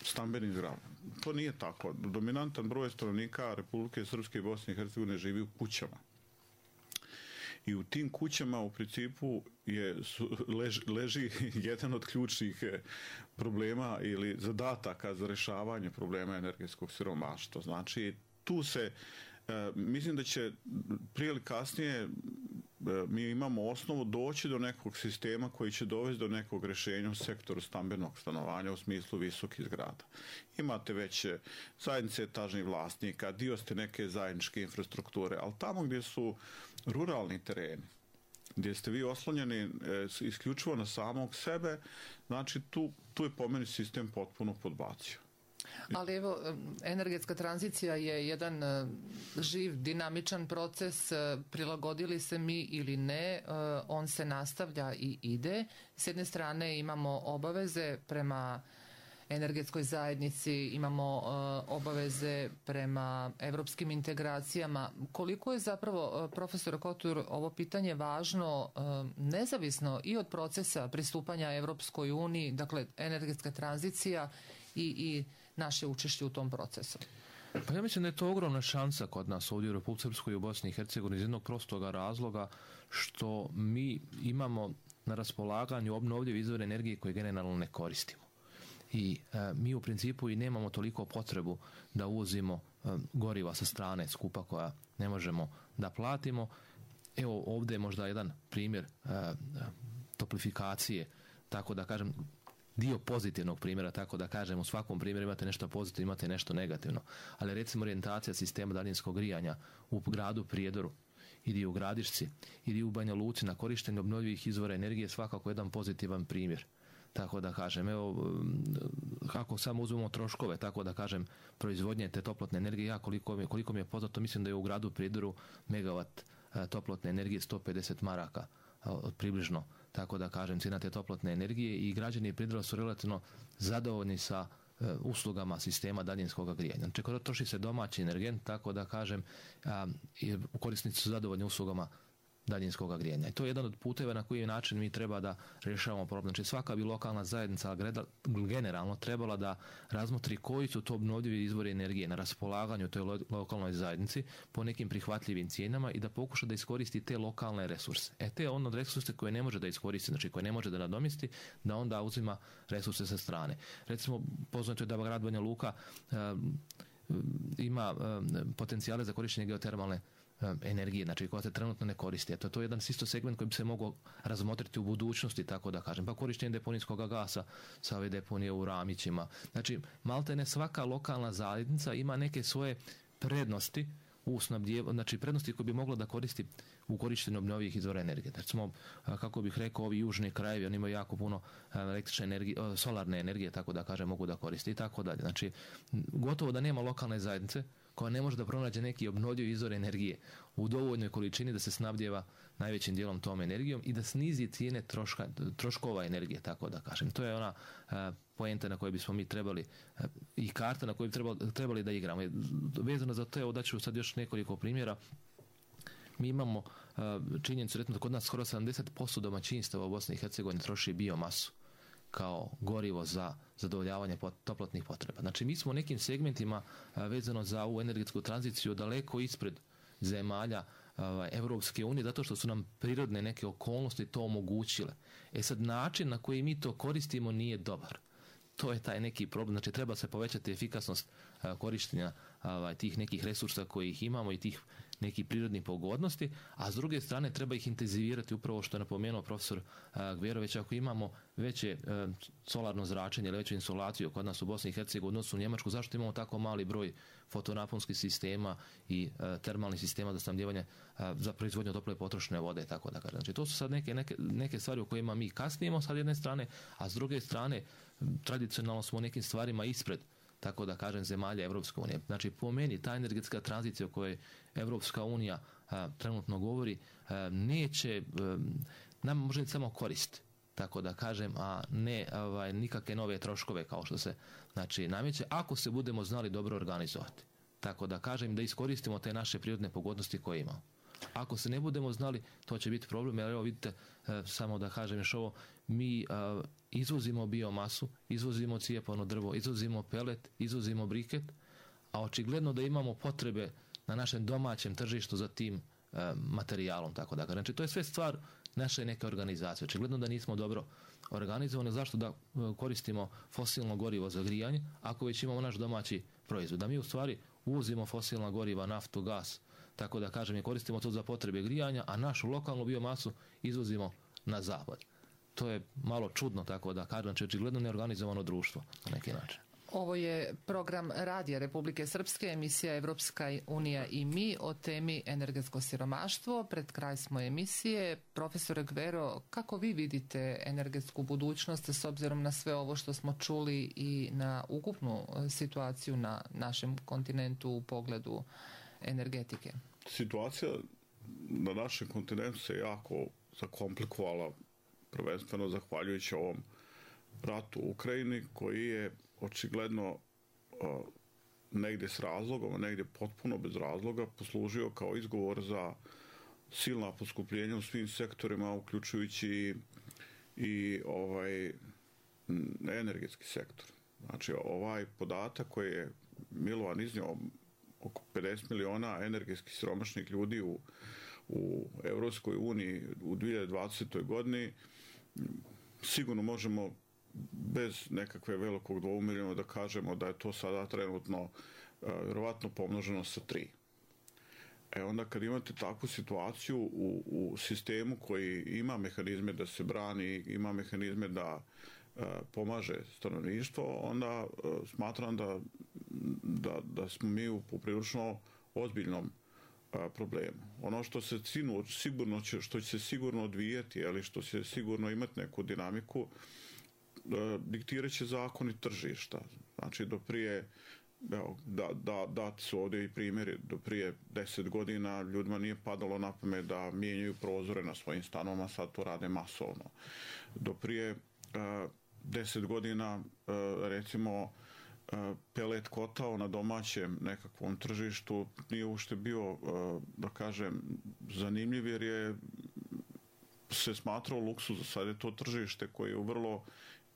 stambenim zgradama. To nije tako. Dominantan broj stanovnika Republike Srpske i Bosne i Hercegovine živi u kućama. I u tim kućama u principu je, leži, leži jedan od ključnih problema ili zadataka za rješavanje problema energetskog siromaštva. Znači, tu se, e, mislim da će prije ili kasnije mi imamo osnovu doći do nekog sistema koji će dovesti do nekog rješenja u sektoru stambenog stanovanja u smislu visokih zgrada. Imate već zajednice etažnih vlasnika, dio ste neke zajedničke infrastrukture, ali tamo gdje su ruralni tereni, gdje ste vi oslonjeni e, isključivo na samog sebe, znači tu, tu je po meni sistem potpuno podbacio. Ali evo, energetska tranzicija je jedan živ, dinamičan proces, prilagodili se mi ili ne, on se nastavlja i ide. S jedne strane imamo obaveze prema energetskoj zajednici, imamo obaveze prema evropskim integracijama. Koliko je zapravo, profesor Kotur, ovo pitanje važno nezavisno i od procesa pristupanja Evropskoj uniji, dakle energetska tranzicija i, i naše učešće u tom procesu? Pa ja mislim da je to ogromna šansa kod nas ovdje u Republici Srpskoj i u Bosni i Hercegovini iz jednog prostoga razloga što mi imamo na raspolaganju obnovljive izvore energije koje generalno ne koristimo. I e, mi u principu i nemamo toliko potrebu da uvozimo e, goriva sa strane skupa koja ne možemo da platimo. Evo ovdje je možda jedan primjer e, toplifikacije, tako da kažem, dio pozitivnog primjera, tako da kažem, u svakom primjeru imate nešto pozitivno, imate nešto negativno. Ali recimo orijentacija sistema daljinskog grijanja u gradu Prijedoru ili u Gradišci ili u Banja Luci na korištenju obnovljivih izvora energije svakako jedan pozitivan primjer. Tako da kažem, evo, kako samo uzmemo troškove, tako da kažem, proizvodnje te toplotne energije, ja koliko mi, koliko mi je poznato, mislim da je u gradu Prijedoru megavat toplotne energije sto pedeset maraka približno, tako da kažem, cijena te toplotne energije i građani Prijedora su relativno zadovoljni sa e, uslugama sistema daljinskog grijanja. Znači, kada troši se domaći energent, tako da kažem, a, i korisnici su zadovoljni uslugama daljinskog grijanja. I to je jedan od puteva na koji način mi treba da rješavamo problem. Znači, svaka bi lokalna zajednica generalno trebala da razmotri koji su to obnovljivi izvori energije na raspolaganju toj lokalnoj zajednici po nekim prihvatljivim cijenama i da pokuša da iskoristi te lokalne resurse. E te ono resurse koje ne može da iskoristi, znači koje ne može da nadomisti, da onda uzima resurse sa strane. Recimo, poznato je da grad Banja Luka e, ima e, potencijale za korištenje geotermalne energije, znači koja se trenutno ne koristi. Eto, to je jedan isto segment koji bi se mogao razmotriti u budućnosti, tako da kažem. Pa korištenje deponijskog gasa sa ove deponije u Ramićima. Znači, maltene svaka lokalna zajednica ima neke svoje prednosti u snabdjevanju, znači prednosti koje bi mogla da koristi u korištenju obnovljivih izvora energije. Recimo, kako bih rekao, ovi južni krajevi, oni imaju jako puno električne energije, solarne energije, tako da kažem, mogu da koristi i tako dalje. Znači, gotovo da nema lokalne zajednice koja ne može da pronađe neki obnovljivi izvor energije u dovoljnoj količini da se snabdjeva najvećim dijelom tom energijom i da snizi cijene troška, troškova energije, tako da kažem. To je ona a, poenta na kojoj bismo mi trebali a, i karta na kojoj bi trebali, trebali da igramo. Vezano za to, evo daću sad još nekoliko primjera. Mi imamo a, činjenicu, recimo, da kod nas skoro sedamdeset posto domaćinstava u Bosni i Hercegovini troši biomasu kao gorivo za zadovoljavanje toplotnih potreba. Znači, mi smo u nekim segmentima a, vezano za ovu energetsku tranziciju daleko ispred zemalja a, Evropske unije, zato što su nam prirodne neke okolnosti to omogućile. E sad, način na koji mi to koristimo nije dobar. To je taj neki problem. Znači, treba se povećati efikasnost a, korištenja a, tih nekih resursa koji ih imamo i tih nekih prirodnih pogodnosti, a s druge strane treba ih intenzivirati, upravo što je napomenuo profesor Gverović. Ako imamo veće e, solarno zračenje ili veću insolaciju kod nas u Bosni i Hercegovini, odnosno u Njemačku, zašto imamo tako mali broj fotonaponskih sistema i e, termalnih sistema za snabdjevanje e, za proizvodnju tople potrošne vode, tako da kažem. Znači, to su sad neke, neke, neke stvari u kojima mi kasnijemo sa jedne strane, a s druge strane tradicionalno smo u nekim stvarima ispred, tako da kažem, zemalja Evropske unije. Znači, po meni, ta energetska tranzicija o kojoj Evropska unija a, trenutno govori, a, neće, a, nam može samo korist, tako da kažem, a ne ovaj, nikakve nove troškove kao što se, znači, nameće, ako se budemo znali dobro organizovati. Tako da kažem, da iskoristimo te naše prirodne pogodnosti koje imamo. Ako se ne budemo znali, to će biti problem, jer evo vidite, e, samo da kažem još ovo, mi e, izvozimo biomasu, izvozimo cijepano drvo, izvozimo pelet, izvozimo briket, a očigledno da imamo potrebe na našem domaćem tržištu za tim e, materijalom, tako da kažem. Znači, to je sve stvar naše neke organizacije. Očigledno da nismo dobro organizovani. Zašto da e, koristimo fosilno gorivo za grijanje, ako već imamo naš domaći proizvod? Da mi u stvari uvozimo fosilna goriva, naftu, gas, tako da kažem, i koristimo to za potrebe grijanja, a našu lokalnu biomasu izvozimo na zapad. To je malo čudno, tako da kažem, znači očigledno neorganizovano društvo na neki način. Ovo je program Radija Republike Srpske, emisija Evropska unija i mi o temi energetsko siromaštvo. Pred kraj smo emisije. Profesore Gvero, kako vi vidite energetsku budućnost s obzirom na sve ovo što smo čuli i na ukupnu situaciju na našem kontinentu u pogledu energetike? Situacija na našem kontinentu se jako zakomplikovala, prvenstveno zahvaljujući ovom ratu u Ukrajini, koji je očigledno uh, negdje s razlogom, a negdje potpuno bez razloga poslužio kao izgovor za silna poskupljenja u svim sektorima, uključujući i, i ovaj energetski sektor. Znači, ovaj podatak koji je Milovan iznio, oko pedeset miliona energetski siromašnih ljudi u, u Evropskoj uniji u dvije hiljade dvadesetoj godini, sigurno možemo bez nekakve velikog dvoumirenja da kažemo da je to sada trenutno vjerovatno pomnoženo sa tri. E onda kad imate takvu situaciju u, u sistemu koji ima mehanizme da se brani, ima mehanizme da e, pomaže stanovništvo, onda e, smatram da, da, da smo mi u poprilično ozbiljnom e, problemu. Ono što se sigurno će, što će se sigurno odvijeti, ali što će sigurno imati neku dinamiku, diktirat će zakoni tržišta. Znači, do prije, evo, da, da, dati su ovdje i primjeri, do prije deset godina ljudima nije padalo na pamet da mijenjaju prozore na svojim stanovima, sad to rade masovno. Do prije uh, deset godina, uh, recimo, uh, pelet kotao na domaćem nekakvom tržištu nije uopšte bio, uh, da kažem, zanimljiv, jer je se smatrao luksuz. Sad je to tržište koje je u vrlo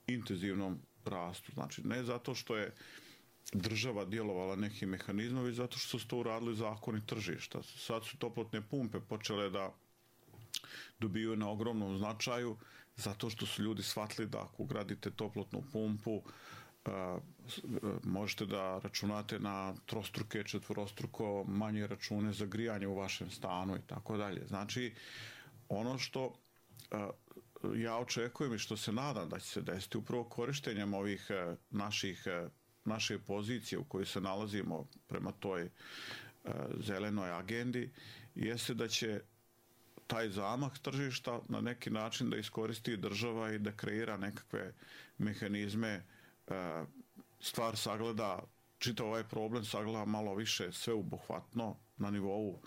intenzivnom rastu. Znači, ne zato što je država djelovala nekim mehanizmom, već zato što su to uradili zakoni tržišta. Sad su toplotne pumpe počele da dobiju na ogromnom značaju, zato što su ljudi shvatili da ako ugradite toplotnu pumpu, možete da računate na trostruke, četvorostruko manje račune za grijanje u vašem stanu i tako dalje. Znači, ono što ja očekujem i što se nadam da će se desiti upravo korištenjem ovih naših, naše pozicije u kojoj se nalazimo prema toj zelenoj agendi, jeste da će taj zamah tržišta na neki način da iskoristi država i da kreira nekakve mehanizme, stvar sagleda, čitav ovaj problem sagleda malo više sveobuhvatno na nivou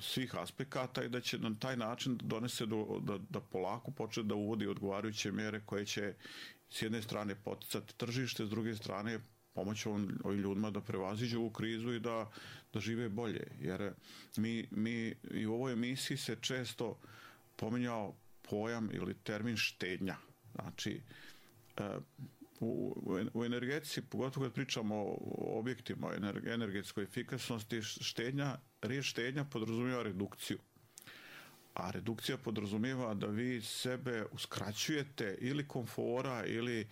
svih aspekata i da će na taj način donese do, da, da polako počne da uvodi odgovarajuće mjere koje će s jedne strane poticati tržište, s druge strane pomoći ovim ljudima da prevaziđu ovu krizu i da, da žive bolje. Jer mi, mi i u ovoj emisiji se često pominjao pojam ili termin štednja. Znači, u, u energetici, pogotovo kad pričamo o objektima, o energetskoj efikasnosti, štednja, riječ štednja podrazumijeva redukciju. A redukcija podrazumijeva da vi sebe uskraćujete ili komfora ili,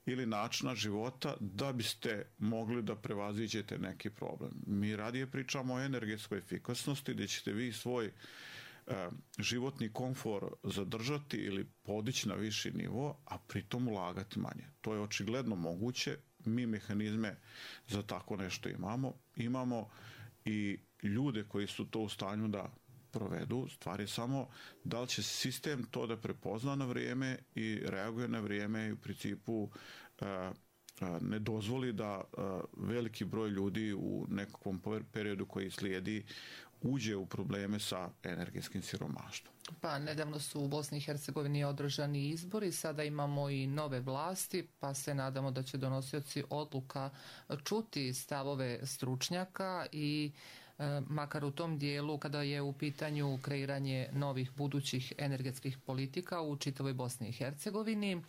ili načina života da biste mogli da prevaziđete neki problem. Mi radije pričamo o energetskoj efikasnosti gdje ćete vi svoj e, životni komfor zadržati ili podići na viši nivo, a pritom ulagati manje. To je očigledno moguće. Mi mehanizme za tako nešto imamo. Imamo i ljude koji su to u stanju da provedu. Stvar je samo da li će sistem to da prepozna na vrijeme i reaguje na vrijeme i u principu e, e, ne dozvoli da e, veliki broj ljudi u nekakvom periodu koji slijedi uđe u probleme sa energetskim siromaštvom. Pa nedavno su u Bosni i Hercegovini održani izbori, sada imamo i nove vlasti, pa se nadamo da će donosioci odluka čuti stavove stručnjaka i e, makar u tom dijelu kada je u pitanju kreiranje novih budućih energetskih politika u čitavoj Bosni i Hercegovini.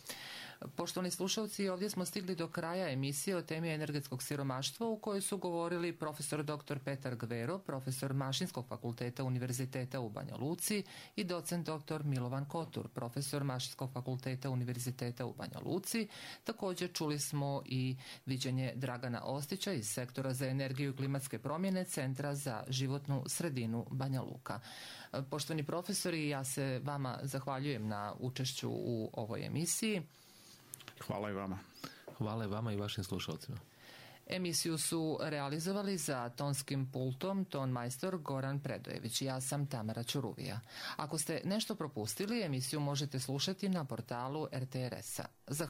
Poštovani slušalci, ovdje smo stigli do kraja emisije o temi energetskog siromaštva u kojoj su govorili profesor doktor Petar Gvero, profesor Mašinskog fakulteta Univerziteta u Banja Luci i docent doktor Milovan Kotur, profesor Mašinskog fakulteta Univerziteta u Banja Luci. Također čuli smo i viđenje Dragana Ostića iz sektora za energiju i klimatske promjene Centra za životnu sredinu Banja Luka. Poštovani profesori, ja se vama zahvaljujem na učešću u ovoj emisiji. Hvala i vama. Hvala i vama i vašim slušalcima. Emisiju su realizovali za tonskim pultom ton majstor Goran Predojević. Ja sam Tamara Ćuruvija. Ako ste nešto propustili, emisiju možete slušati na portalu er te er es a.